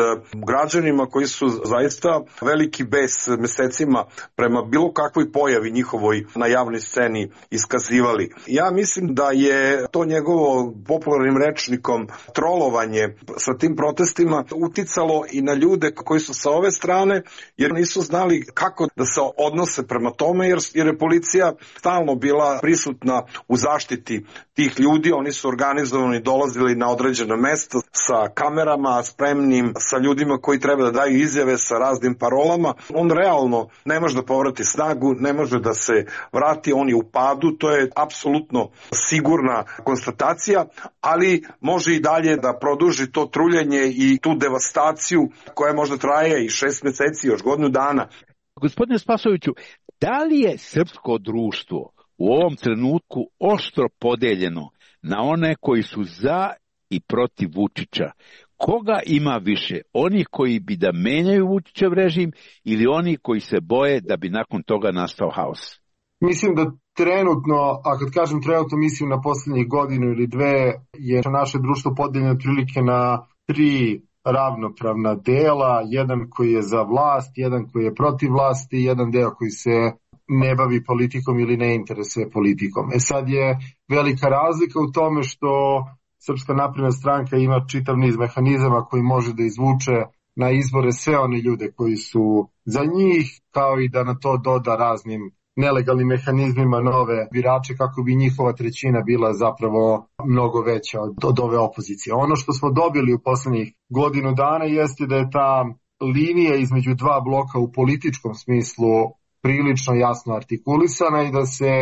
građanima koji su zaista veliki bes mesecima prema bilo kakvoj pojavi njihovoj na javnoj sceni iskazivali. Ja mislim da je to njegovo popularnim rečnikom trolovanje sa tim protestima uticalo i na ljude koji su sa ove strane, jer nisu znali kako da se odnose prema tome, jer, jer je policija stalno bila prisutna u zaštiti tih ljudi. Oni su organizovani, dolazili na određena mesta sa kamerama, spremnim, sa ljudima koji treba da daju izjave sa raznim parolama. On realno ne može da povrati snagu, ne može da se vrati, on je u padu, to je apsolutno sigurna konstatacija, ali može i dalje da produži to truljenje i tu devastaciju koja možda traje i šest meseci, još godinu dana. Gospodine Spasojeviću, da li je srpsko društvo u ovom trenutku oštro podeljeno na one koji su za i protiv Vučića? Koga ima više? Oni koji bi da menjaju Vučićev režim ili oni koji se boje da bi nakon toga nastao haos? Mislim da trenutno, a kad kažem trenutno mislim na poslednjih godinu ili dve, je naše društvo podeljeno otprilike na tri ravnopravna dela, jedan koji je za vlast, jedan koji je protiv vlasti, jedan deo koji se ne bavi politikom ili ne interesuje politikom. E sad je velika razlika u tome što Srpska napredna stranka ima čitav niz mehanizama koji može da izvuče na izbore sve one ljude koji su za njih, kao i da na to doda raznim nelegalnim mehanizmima nove birače kako bi njihova trećina bila zapravo mnogo veća od, od ove opozicije. Ono što smo dobili u poslednjih godinu dana jeste da je ta linija između dva bloka u političkom smislu prilično jasno artikulisana i da se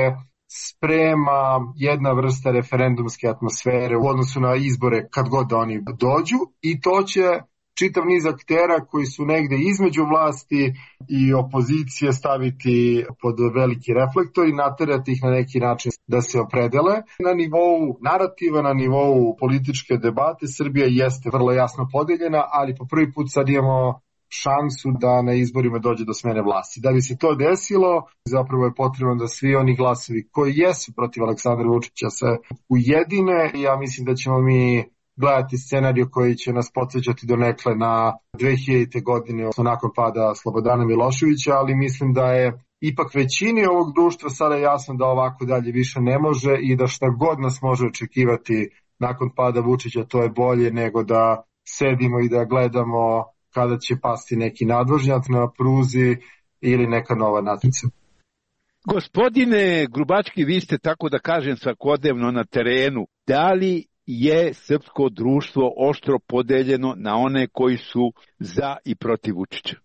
sprema jedna vrsta referendumske atmosfere u odnosu na izbore kad god da oni dođu, i to će čitav niz aktera koji su negde između vlasti i opozicije staviti pod veliki reflektor i naterati ih na neki način da se opredele. Na nivou narativa, na nivou političke debate Srbija jeste vrlo jasno podeljena, ali po prvi put sad imamo šansu da na izborima dođe do smene vlasti. Da bi se to desilo, zapravo je potrebno da svi oni glasovi koji jesu protiv Aleksandra Vučića se ujedine. Ja mislim da ćemo mi gledati scenariju koji će nas podsjećati donekle na dve hiljadite. godine, odnosno nakon pada Slobodana Miloševića, ali mislim da je ipak većini ovog društva sada jasno da ovako dalje više ne može i da šta god nas može očekivati nakon pada Vučića, to je bolje nego da sedimo i da gledamo kada će pasti neki nadvožnjak na pruzi ili neka nova natnica. Gospodine Grubački, vi ste, tako da kažem, svakodnevno na terenu. Da li je srpsko društvo oštro podeljeno na one koji su za i protiv Vučića?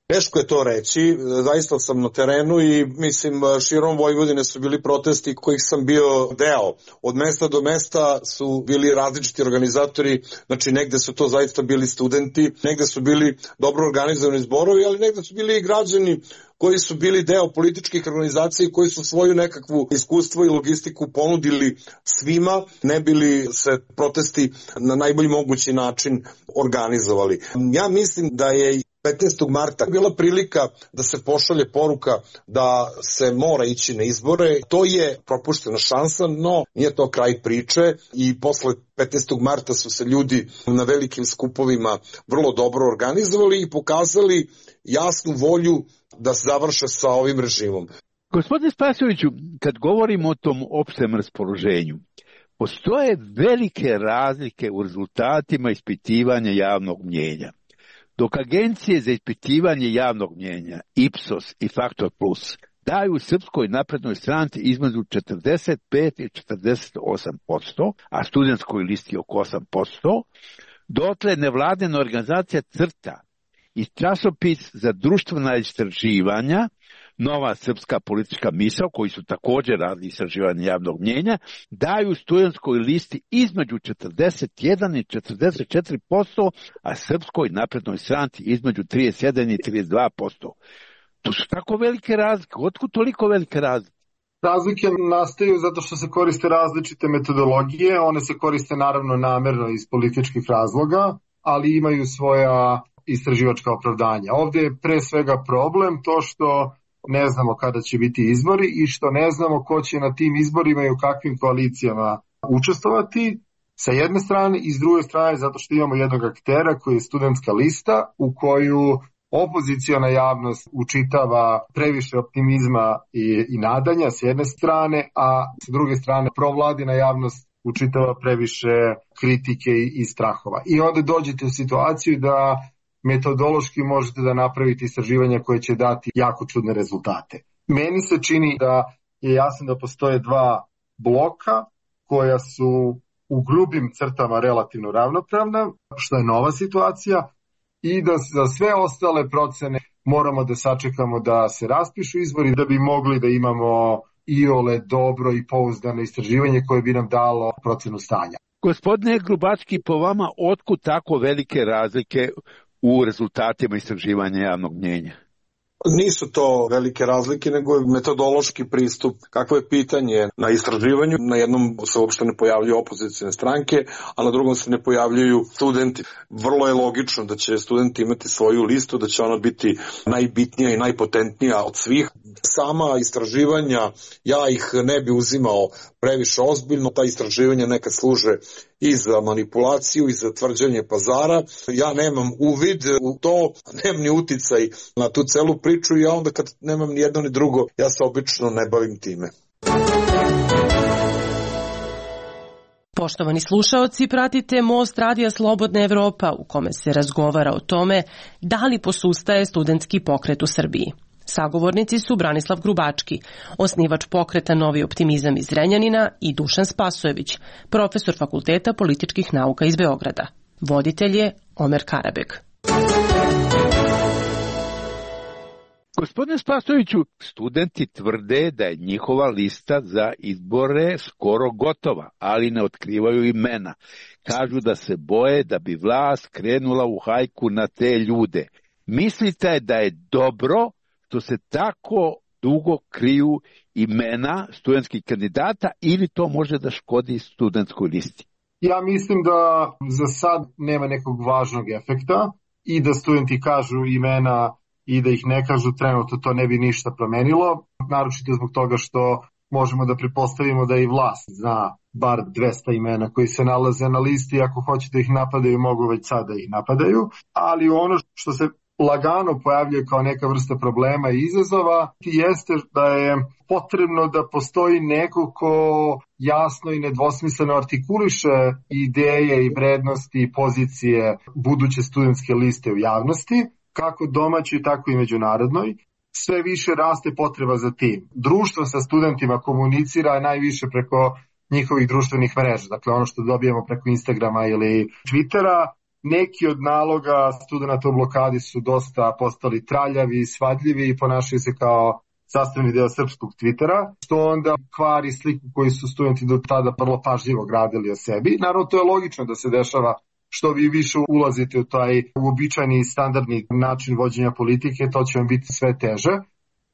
Teško je to reći, zaista sam na terenu i mislim širom Vojvodine su bili protesti kojih sam bio deo. Od mesta do mesta su bili različiti organizatori, znači negde su to zaista bili studenti, negde su bili dobro organizovani zborovi, ali negde su bili i građani koji su bili deo političkih organizacija i koji su svoju nekakvu iskustvo i logistiku ponudili svima, ne bili se protesti na najbolji mogući način organizovali. Ja mislim da je petnaestog marta bila prilika da se pošalje poruka da se mora ići na izbore. To je propuštena šansa, no nije to kraj priče i posle petnaestog marta su se ljudi na velikim skupovima vrlo dobro organizovali i pokazali jasnu volju da se završe sa ovim režimom. Gospodine Spasojeviću, kad govorimo o tom opštem raspoloženju, postoje velike razlike u rezultatima ispitivanja javnog mnjenja. Dok agencije za ispitivanje javnog mnjenja, Ipsos i Faktor Plus, daju Srpskoj naprednoj stranci između četrdeset pet i četrdeset osam posto, a studentskoj listi oko osam posto, dotle nevladina organizacija CRTA i časopis za društvena istraživanja, Nova srpska politička misao, koji su također radili istraživanje javnog mnjenja, daju studentskoj listi između četrdeset jedan i četrdeset četiri posto, a Srpskoj naprednoj stranci između trideset jedan i trideset dva posto. To su tako velike razlike. Otkud toliko velike razlike? Razlike nastaju zato što se koriste različite metodologije. One se koriste naravno namerno iz političkih razloga, ali imaju svoja istraživačka opravdanja. Ovdje je pre svega problem to što ne znamo kada će biti izbori i što ne znamo ko će na tim izborima i u kakvim koalicijama učestvovati sa jedne strane i s druge strane zato što imamo jednog aktera koji je studentska lista u koju opoziciona javnost učitava previše optimizma i, i nadanja s jedne strane, a s druge strane provladina javnost učitava previše kritike i, i strahova. I onda dođete u situaciju da metodološki možete da napravite istraživanja koje će dati jako čudne rezultate. Meni se čini da je jasno da postoje dva bloka koja su u grubim crtama relativno ravnopravna, što je nova situacija, i da za sve ostale procene moramo da sačekamo da se raspišu izbori da bi mogli da imamo iole dobro i pouzdano istraživanje koje bi nam dalo procenu stanja. Gospodine Grubacki, po vama otkud tako velike razlike u rezultatima istraživanja javnog mnjenja? Nisu to velike razlike, nego je metodološki pristup. Kakvo je pitanje na istraživanju? Na jednom se uopšte ne pojavljuju opozicijne stranke, a na drugom se ne pojavljuju studenti. Vrlo je logično da će studenti imati svoju listu, da će ona biti najbitnija i najpotentnija od svih. Sama istraživanja, ja ih ne bi uzimao previše ozbiljno. Ta istraživanja nekad služe i za manipulaciju i za tvrđanje pazara. Ja nemam uvid u to, nemam ni uticaj na tu celu priču i ja onda kad nemam ni jedno ni drugo, ja se obično ne bavim time. Poštovani slušaoci, pratite Most Radija Slobodna Evropa u kome se razgovara o tome da li posustaje studentski pokret u Srbiji. Sagovornici su Branislav Grubački, osnivač pokreta Novi optimizam iz Zrenjanina, i Dušan Spasojević, profesor Fakulteta političkih nauka iz Beograda. Voditelj je Omer Karabeg. Gospodine Spasojeviću, studenti tvrde da je njihova lista za izbore skoro gotova, ali ne otkrivaju imena. Kažu da se boje da bi vlast krenula u hajku na te ljude. Mislite da je dobro što se tako dugo kriju imena studentskih kandidata ili to može da škodi studentskoj listi? Ja mislim da za sad nema nekog važnog efekta i da studenti kažu imena i da ih ne kažu trenutno, to ne bi ništa promenilo, naročito zbog toga što možemo da pretpostavimo da i vlast zna bar dvesta imena koji se nalaze na listi, ako hoće da ih napadaju, mogu već sada ih napadaju, ali ono što se lagano pojavljuje kao neka vrsta problema i izazova jeste da je potrebno da postoji neko ko jasno i nedvosmisleno artikuliše ideje i vrednosti i pozicije buduće studentske liste u javnosti, kako domaćoj, tako i međunarodnoj. Sve više raste potreba za tim. Društvo sa studentima komunicira najviše preko njihovih društvenih mreža, dakle ono što dobijemo preko Instagrama ili Twittera. Neki od naloga studenta u blokadi su dosta postali traljavi, svadljivi i ponašaju se kao sastavni deo srpskog Twittera, što onda kvari sliku koju su studenti do tada vrlo pažljivo gradili o sebi. Naravno, to je logično da se dešava. Što vi više ulazite u taj uobičajeni i standardni način vođenja politike, to će vam biti sve teže.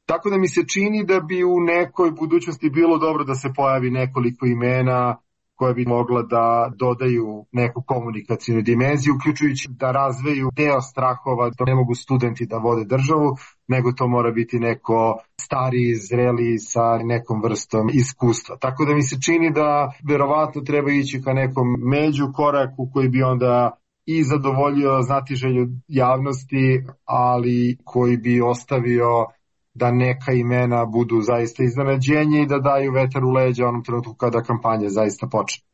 Tako da mi se čini da bi u nekoj budućnosti bilo dobro da se pojavi nekoliko imena koja bi mogla da dodaju neku komunikacijnu dimenziju, uključujući da razveju deo strahova da ne mogu studenti da vode državu, nego to mora biti neko stariji, zreli sa nekom vrstom iskustva. Tako da mi se čini da verovatno treba ići ka nekom među koraku koji bi onda i zadovoljio znatiželju javnosti, ali koji bi ostavio da neka imena budu zaista iznenađenje i da daju vetar u leđa onom trenutku kada kampanja zaista počne.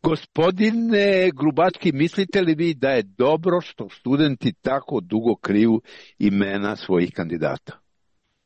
Gospodine Grubački, mislite li vi da je dobro što studenti tako dugo kriju imena svojih kandidata?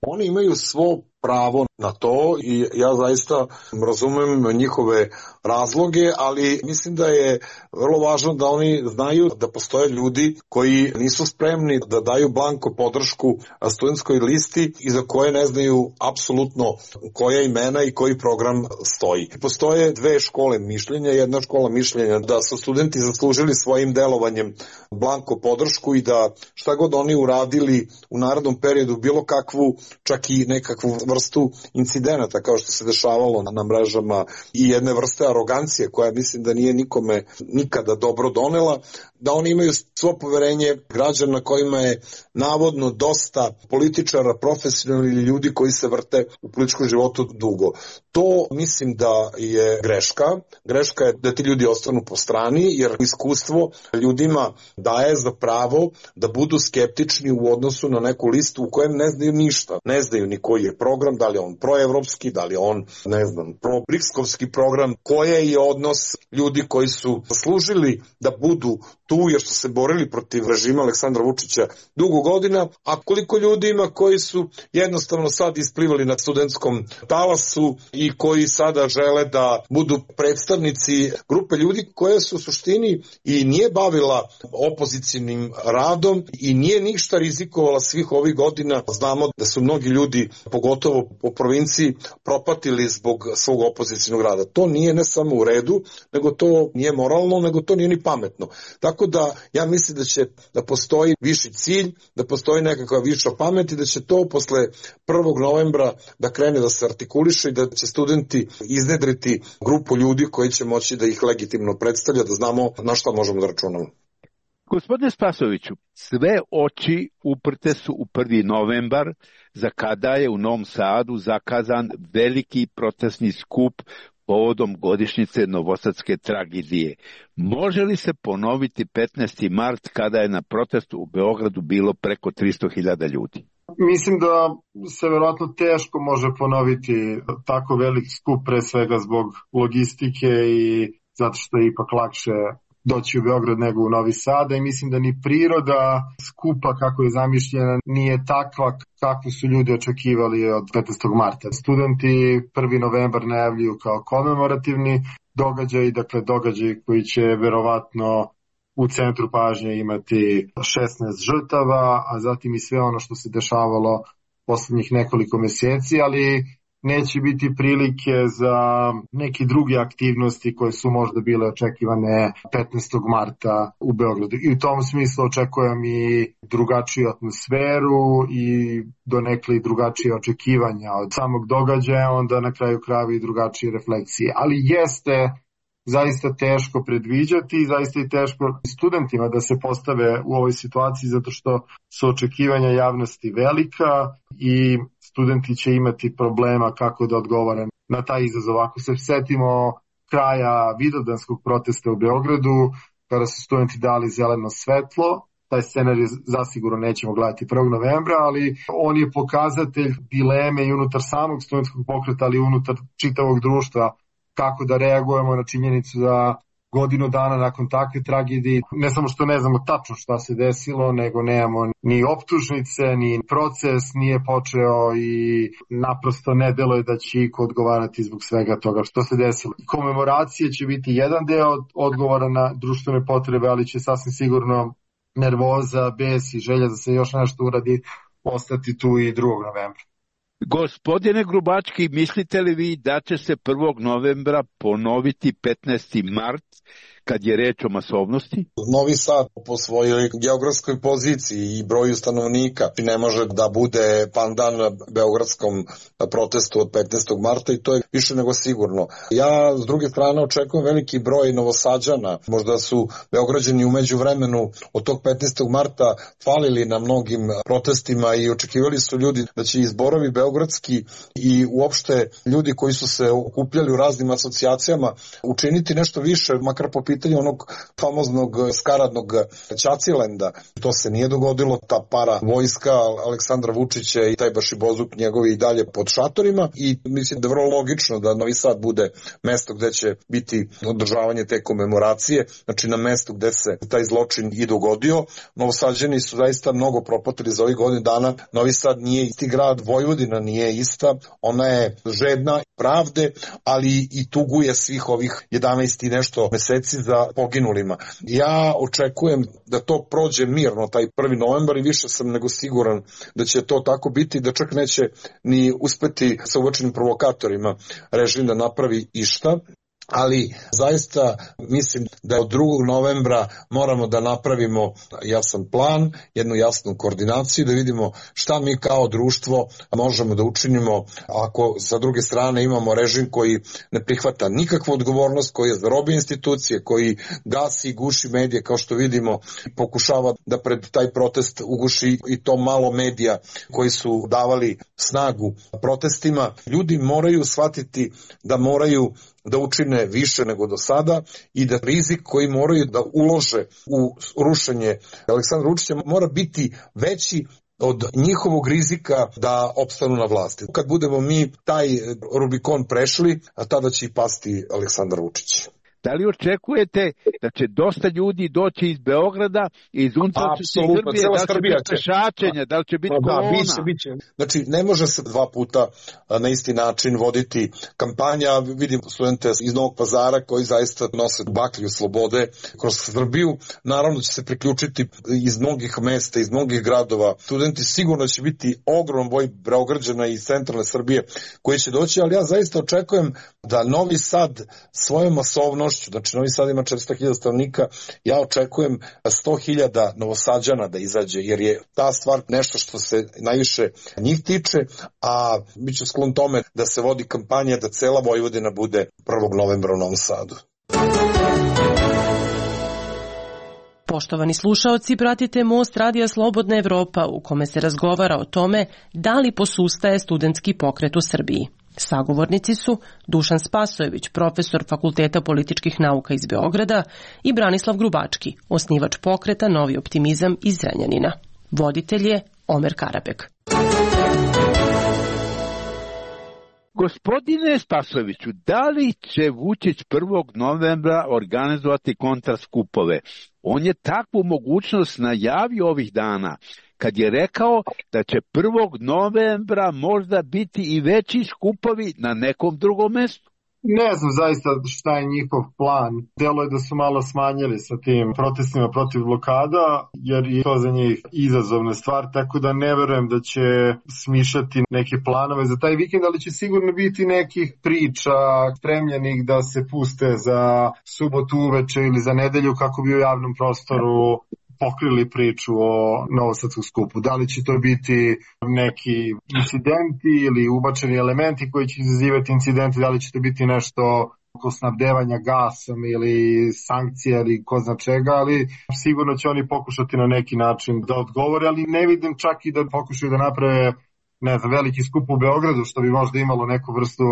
Oni imaju svo pravo na to i ja zaista razumem njihove razloge, ali mislim da je vrlo važno da oni znaju da postoje ljudi koji nisu spremni da daju blanko podršku studentskoj listi i za koje ne znaju apsolutno koja imena i koji program stoji. Postoje dve škole mišljenja. Jedna škola mišljenja da su studenti zaslužili svojim delovanjem blanko podršku i da šta god oni uradili u narednom periodu, bilo kakvu, čak i nekakvu vrstu vrstu incidenata kao što se dešavalo na mrežama i jedne vrste arogancije koja mislim da nije nikome nikada dobro donela, da oni imaju svo poverenje građana kojima je navodno dosta političara, profesionalnih ili ljudi koji se vrte u političkom životu dugo. To mislim da je greška. Greška je da ti ljudi ostanu po strani, jer iskustvo ljudima daje za pravo da budu skeptični u odnosu na neku listu u kojem ne znaju ništa. Ne znaju ni koji je program, da li je on proevropski, da li je on, ne znam, pro-brikskovski program, koji je odnos ljudi koji su služili da budu tu jer su se borili protiv režima Aleksandra Vučića dugo godina, a koliko ljudi ima koji su jednostavno sad isplivali na studentskom talasu i koji sada žele da budu predstavnici grupe ljudi koje su u suštini i nije bavila opozicijnim radom i nije ništa rizikovala svih ovih godina. Znamo da su mnogi ljudi, pogotovo po provinciji, propatili zbog svog opozicijnog rada. To nije ne samo u redu, nego to nije moralno, nego to nije ni pametno. Tako da ja mislim da će da postoji viši cilj, da postoji nekakva viša pamet i da će to posle prvog novembra da krene da se artikuliše i da će studenti iznedriti grupu ljudi koji će moći da ih legitimno predstavlja, da znamo na šta možemo da računamo. Gospodine Spasoviću, sve oči uprte su u prvi novembar, za kada je u Novom Sadu zakazan veliki protestni skup povodom godišnjice novosadske tragedije. Može li se ponoviti petnaesti mart kada je na protestu u Beogradu bilo preko tristo hiljada ljudi? Mislim da se verovatno teško može ponoviti tako velik skup, pre svega zbog logistike i zato što je ipak lakše doći u Beograd nego u Novi Sad, i mislim da ni priroda skupa kako je zamišljena nije takva kako su ljudi očekivali od petnaestog marta. Studenti prvi novembar najavljuju kao komemorativni događaj, dakle događaj koji će verovatno u centru pažnje imati šesnaest žrtava, a zatim i sve ono što se dešavalo poslednjih nekoliko meseci, ali neće biti prilike za neke druge aktivnosti koje su možda bile očekivane petnaestog marta u Beogradu. I u tom smislu očekujem i drugačiju atmosferu i donekle i drugačije očekivanja od samog događaja, onda na kraju krajeva i drugačije refleksije. Ali jeste zaista teško predviđati i zaista i teško studentima da se postave u ovoj situaciji zato što su očekivanja javnosti velika i studenti će imati problema kako da odgovore na taj izazov. Ako se setimo kraja vidovdanskog protesta u Beogradu, kada su studenti dali zeleno svetlo, taj scenarij zasigurno nećemo gledati prvog novembra, ali on je pokazatelj dileme i unutar samog studentskog pokreta, ali i unutar čitavog društva, kako da reagujemo na činjenicu da godinu dana nakon takve tragedije, ne samo što ne znamo tačno šta se desilo, nego nemamo ni optužnice, ni proces nije počeo i naprosto ne deluje da će iko odgovarati zbog svega toga što se desilo. Komemoracije će biti jedan deo odgovora na društvene potrebe, ali će sasvim sigurno nervoza, bes i želja da se još nešto uradi ostati tu i drugog novembra. Gospodine Grubački, mislite li vi da će se prvog novembra ponoviti petnaesti mart kad je reč o masovnosti? Novi Sad po svojoj geografskoj poziciji i broju stanovnika ne može da bude pandan beogradskom protestu od petnaestog marta i to je više nego sigurno. Ja s druge strane očekujem veliki broj Novosađana. Možda su Beograđani u međuvremenu od tog petnaestog marta falili na mnogim protestima i očekivali su ljudi da će izborovi beogradski i uopšte ljudi koji su se okupljali u raznim asocijacijama učiniti nešto više, makar po pitanju onog famoznog skaradnog Ćacilenda. To se nije dogodilo, ta para vojska Aleksandra Vučića i taj Bašibozuk njegovi i dalje pod šatorima i mislim da je vrlo logično da Novi Sad bude mesto gde će biti održavanje te komemoracije, znači na mestu gde se taj zločin i dogodio. Novosađani su zaista mnogo propatili za ovih godina dana. Novi Sad nije isti grad, Vojvodina nije ista, ona je žedna pravde, ali i tuguje svih ovih jedanaest i nešto meseci za poginulima. Ja očekujem da to prođe mirno taj prvi novembar i više sam nego siguran da će to tako biti, da čak neće ni uspeti sa uočenim provokatorima režim da napravi išta. ali zaista mislim da od drugog novembra moramo da napravimo jasan plan, jednu jasnu koordinaciju, da vidimo šta mi kao društvo možemo da učinimo ako sa druge strane imamo režim koji ne prihvata nikakvu odgovornost, koji je zarobio institucije, koji gasi i guši medije, kao što vidimo, pokušava da pred taj protest uguši i to malo medija koji su davali snagu protestima. Ljudi moraju shvatiti da moraju da učine više nego do sada i da rizik koji moraju da ulože u rušenje Aleksandra Vučića mora biti veći od njihovog rizika da opstanu na vlasti. Kad budemo mi taj Rubikon prešli, a tada će i pasti Aleksandar Vučić. Da li očekujete da će dosta ljudi doći iz Beograda i iz unutrašnjosti Srbije, da li će biti pešačenja, da li će biti kolona? Da, biće, biće. Znači, ne može se dva puta na isti način voditi kampanja. Vidim studente iz Novog Pazara koji zaista nose baklju slobode kroz Srbiju. Naravno će se priključiti iz mnogih mesta, iz mnogih gradova. Studenti sigurno će biti ogrom broj Beograđana iz centralne Srbije koji će doći, ali ja zaista očekujem da Novi Sad svojom masovnošću, znači Novi Sad ima četiristo hiljada stanovnika, ja očekujem sto hiljada Novosađana da izađe, jer je ta stvar nešto što se najviše njih tiče, a bit ću sklon tome da se vodi kampanja da cela Vojvodina bude prvog novembra u Novom Sadu. Poštovani slušaoci, pratite Most Radija Slobodna Evropa u kome se razgovara o tome da li posustaje studentski pokret u Srbiji. Sagovornici su Dušan Spasojević, profesor Fakulteta političkih nauka iz Beograda, i Branislav Grubački, osnivač pokreta Novi optimizam iz Zrenjanina. Voditelj je Omer Karabek. Gospodine Spasojeviću, da li će Vučić prvog novembra organizovati kontraskupove? On je takvu mogućnost najavio ovih dana, kad je rekao da će prvog novembra možda biti i veći skupovi na nekom drugom mestu. Ne znam zaista šta je njihov plan. Delo je da su malo smanjili sa tim protestima protiv blokada, jer je to za njih izazovna stvar, tako da ne verujem da će smišljati neke planove za taj vikend, ali će sigurno biti nekih priča spremljenih da se puste za subotu uveče ili za nedelju kako bi u javnom prostoru pokrili priču o novosadskom skupu. Da li će to biti neki incidenti ili ubačeni elementi koji će izazivati incidenti, da li će to biti nešto oko snabdevanja gasom ili sankcija ili ko zna čega, ali sigurno će oni pokušati na neki način da odgovore, ali ne vidim čak i da pokušaju da naprave, ne znam, veliki skup u Beogradu, što bi možda imalo neku vrstu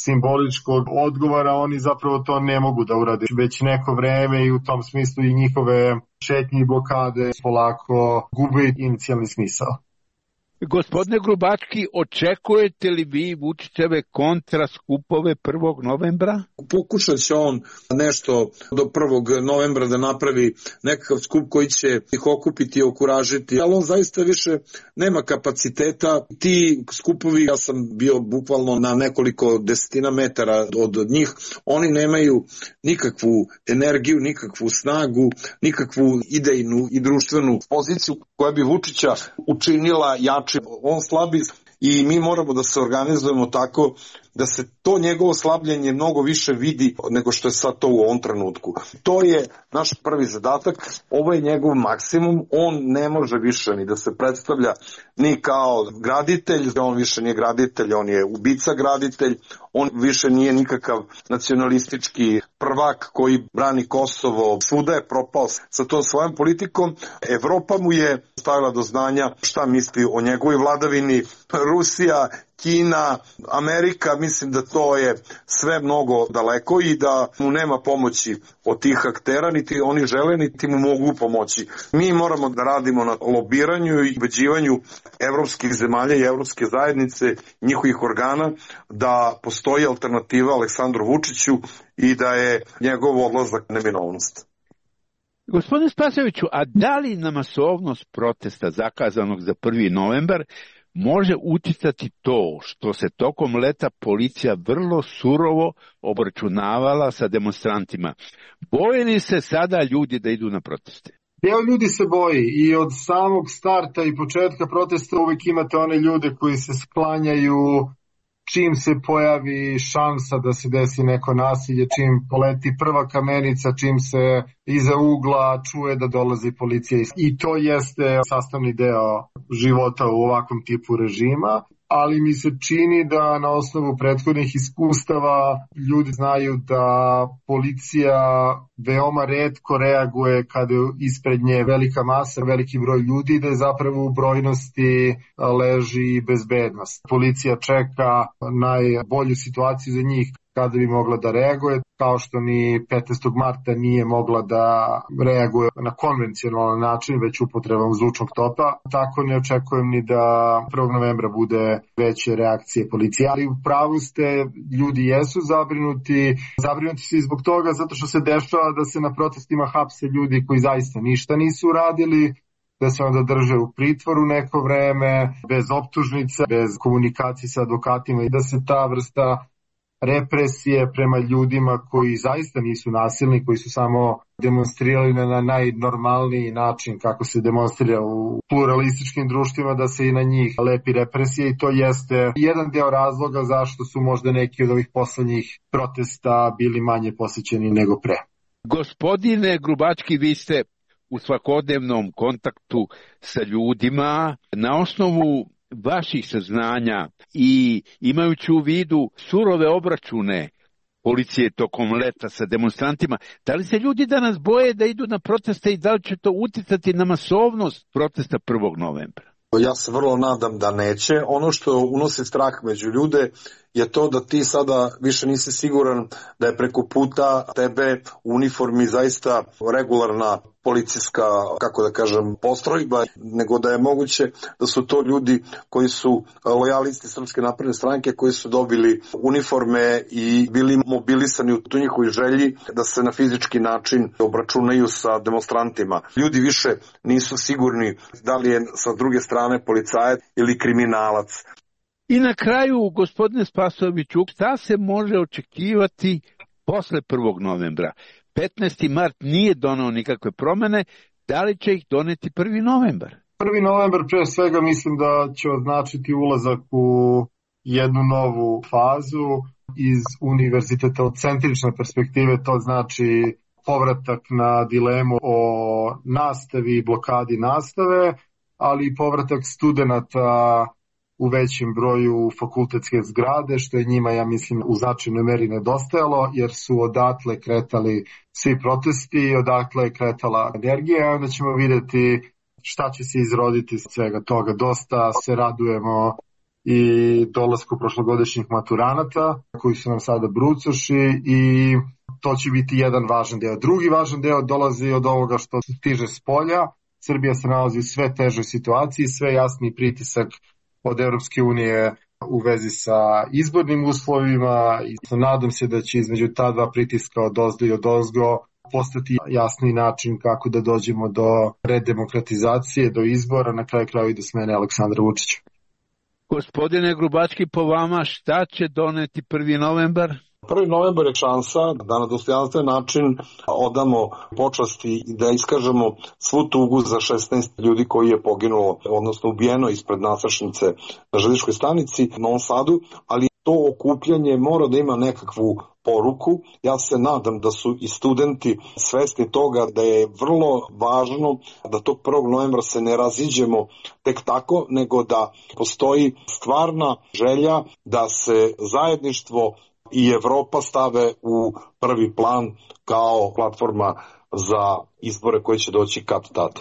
simboličkog odgovora. Oni zapravo to ne mogu da urade već neko vreme i u tom smislu i njihove šetnje i blokade polako gube inicijalni smisao. Gospodine Grubački, očekujete li vi Vučićeve kontraskupove prvog novembra? Pokušat će on nešto do prvog novembra da napravi nekakav skup koji će ih okupiti i okuražiti, ali on zaista više nema kapaciteta. Ti skupovi, ja sam bio bukvalno na nekoliko desetina metara od njih, oni nemaju nikakvu energiju, nikakvu snagu, nikakvu idejnu i društvenu poziciju koja bi Vučića učinila jačim. On slabi i mi moramo da se organizujemo tako da se to njegovo slabljenje mnogo više vidi nego što je sad to u ovom trenutku. To je naš prvi zadatak, ovo je njegov maksimum, on ne može više ni da se predstavlja ni kao graditelj, on više nije graditelj, on je ubica graditelj, on više nije nikakav nacionalistički prvak koji brani Kosovo, svuda je propao sa tom svojom politikom. Evropa mu je stavila do znanja šta misli o njegovoj vladavini, Rusija, Kina, Amerika, mislim da to je sve mnogo daleko i da mu nema pomoći od tih aktera, niti oni žele, niti mu mogu pomoći. Mi moramo da radimo na lobiranju i ubeđivanju evropskih zemalja i evropske zajednice, njihovih organa, da postoji alternativa Aleksandru Vučiću i da je njegov odlazak neminovnost. Gospodine Spasojeviću, a da li na masovnost protesta zakazanog za prvi novembar može uticati to što se tokom leta policija vrlo surovo obračunavala sa demonstrantima? Boje li se sada ljudi da idu na proteste? Deo ljudi se boji i od samog starta i početka protesta uvijek imate one ljude koji se sklanjaju čim se pojavi šansa da se desi neko nasilje, čim poleti prva kamenica, čim se iza ugla čuje da dolazi policija. I to jeste sastavni deo života u ovakvom tipu režima, ali mi se čini da na osnovu prethodnih iskustava ljudi znaju da policija veoma retko reaguje kada je ispred nje velika masa, veliki broj ljudi, da je zapravo u brojnosti leži bezbednost. Policija čeka najbolju situaciju za njih kada bi mogla da reaguje, kao što ni petnaestog marta nije mogla da reaguje na konvencionalan način, već upotrebom zvučnog topa. Tako ne očekujem ni da prvog novembra bude veće reakcije policije. Ali u pravu ste, ljudi jesu zabrinuti. Zabrinuti su i zbog toga zato što se dešava da se na protestima hapse ljudi koji zaista ništa nisu uradili, da se onda drže u pritvoru neko vreme, bez optužnica, bez komunikacije sa advokatima i da se ta vrsta represije prema ljudima koji zaista nisu nasilni, koji su samo demonstrirali na najnormalniji način kako se demonstrira u pluralističkim društvima, da se i na njih lepi represije, i to jeste jedan deo razloga zašto su možda neki od ovih poslednjih protesta bili manje posjećeni nego pre. Gospodine Grubački, vi ste u svakodnevnom kontaktu sa ljudima. Na osnovu vaših saznanja i imajući u vidu surove obračune policije tokom leta sa demonstrantima, da li se ljudi danas boje da idu na proteste i da li će to uticati na masovnost protesta prvog novembra? Ja se vrlo nadam da neće. Ono što unosi strah među ljude je to da ti sada više nisi siguran da je preko puta tebe u uniformi zaista regularna policijska, kako da kažem, postrojba, nego da je moguće da su to ljudi koji su lojalisti Srpske napredne stranke, koji su dobili uniforme i bili mobilisani u tu njihovoj želji da se na fizički način obračunaju sa demonstrantima. Ljudi više nisu sigurni da li je sa druge strane policajac ili kriminalac. I na kraju, gospodine Spasojeviću, šta se može očekivati posle prvog novembra? petnaesti mart nije donao nikakve promene, da li će ih doneti prvi novembar? prvi novembar pre svega mislim da će označiti ulazak u jednu novu fazu iz univerzitetocentrične perspektive, to znači povratak na dilemu o nastavi i blokadi nastave, ali i povratak studenata u većem broju fakultetske zgrade, što je njima, ja mislim, u značajnoj meri nedostajalo, jer su odatle kretali svi protesti, odatle je kretala energija, onda ćemo videti šta će se izroditi iz svega toga. Dosta se radujemo i dolasku prošlogodišnjih maturanata, koji su nam sada brucoši, i to će biti jedan važan deo. Drugi važan deo dolazi od ovoga što stiže s polja. Srbija se nalazi u sve težoj situaciji, sve jasniji pritisak od Evropske unije u vezi sa izbornim uslovima, i nadam se da će između ta dva pritiska od ozdo i od ozgo postati jasni način kako da dođemo do redemokratizacije, do izbora, na kraju kraju i do smene Aleksandra Vučića. Gospodine Grubački, po vama šta će doneti prvi novembar? prvi novembar je šansa da na dostojanstven način odamo počasti i da iskažemo svu tugu za šesnaest ljudi koji je poginulo, odnosno ubijeno ispred nasršnice na železničkoj stanici u Novom Sadu, ali to okupljanje mora da ima nekakvu poruku. Ja se nadam da su i studenti svesni toga da je vrlo važno da tog prvog novembra se ne raziđemo tek tako, nego da postoji stvarna želja da se zajedništvo i Evropa stave u prvi plan kao platforma za izbore koji će doći kad tad.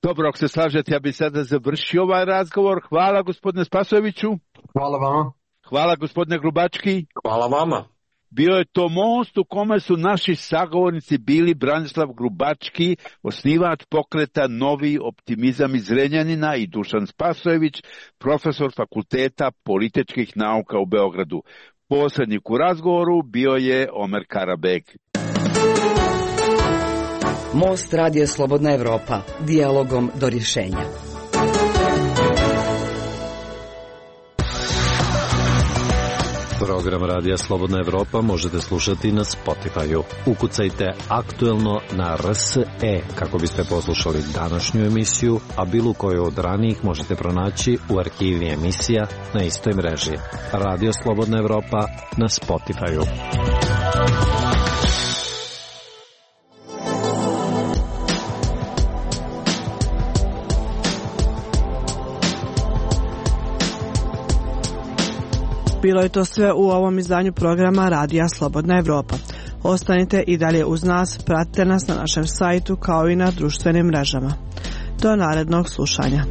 Dobro, ako se slažete, ja bih sada završio ovaj razgovor. Hvala gospodine Spasojeviću. Hvala vama. Hvala gospodine Grubački. Hvala vama. Bio je to most u kome su naši sagovornici bili Branislav Grubački, osnivač pokreta Novi optimizam iz Zrenjanina, i Dušan Spasojević, profesor Fakulteta političkih nauka u Beogradu. Posrednik u razgovoru bio je Omer Karabeg. Most Radija Slobodna Evropa, dijalogom do rješenja. Program Radija Slobodna Evropa možete slušati na Spotify-u. Ukucajte aktuelno na R S E kako biste poslušali današnju emisiju, a bilo koju od ranijih možete pronaći u arhivi emisija na istoj mreži. Radio Slobodna Evropa na Spotify-u. Bilo je to sve u ovom izdanju programa Radija Slobodna Evropa. Ostanite i dalje uz nas, pratite nas na našem sajtu kao i na društvenim mrežama. Do narednog slušanja.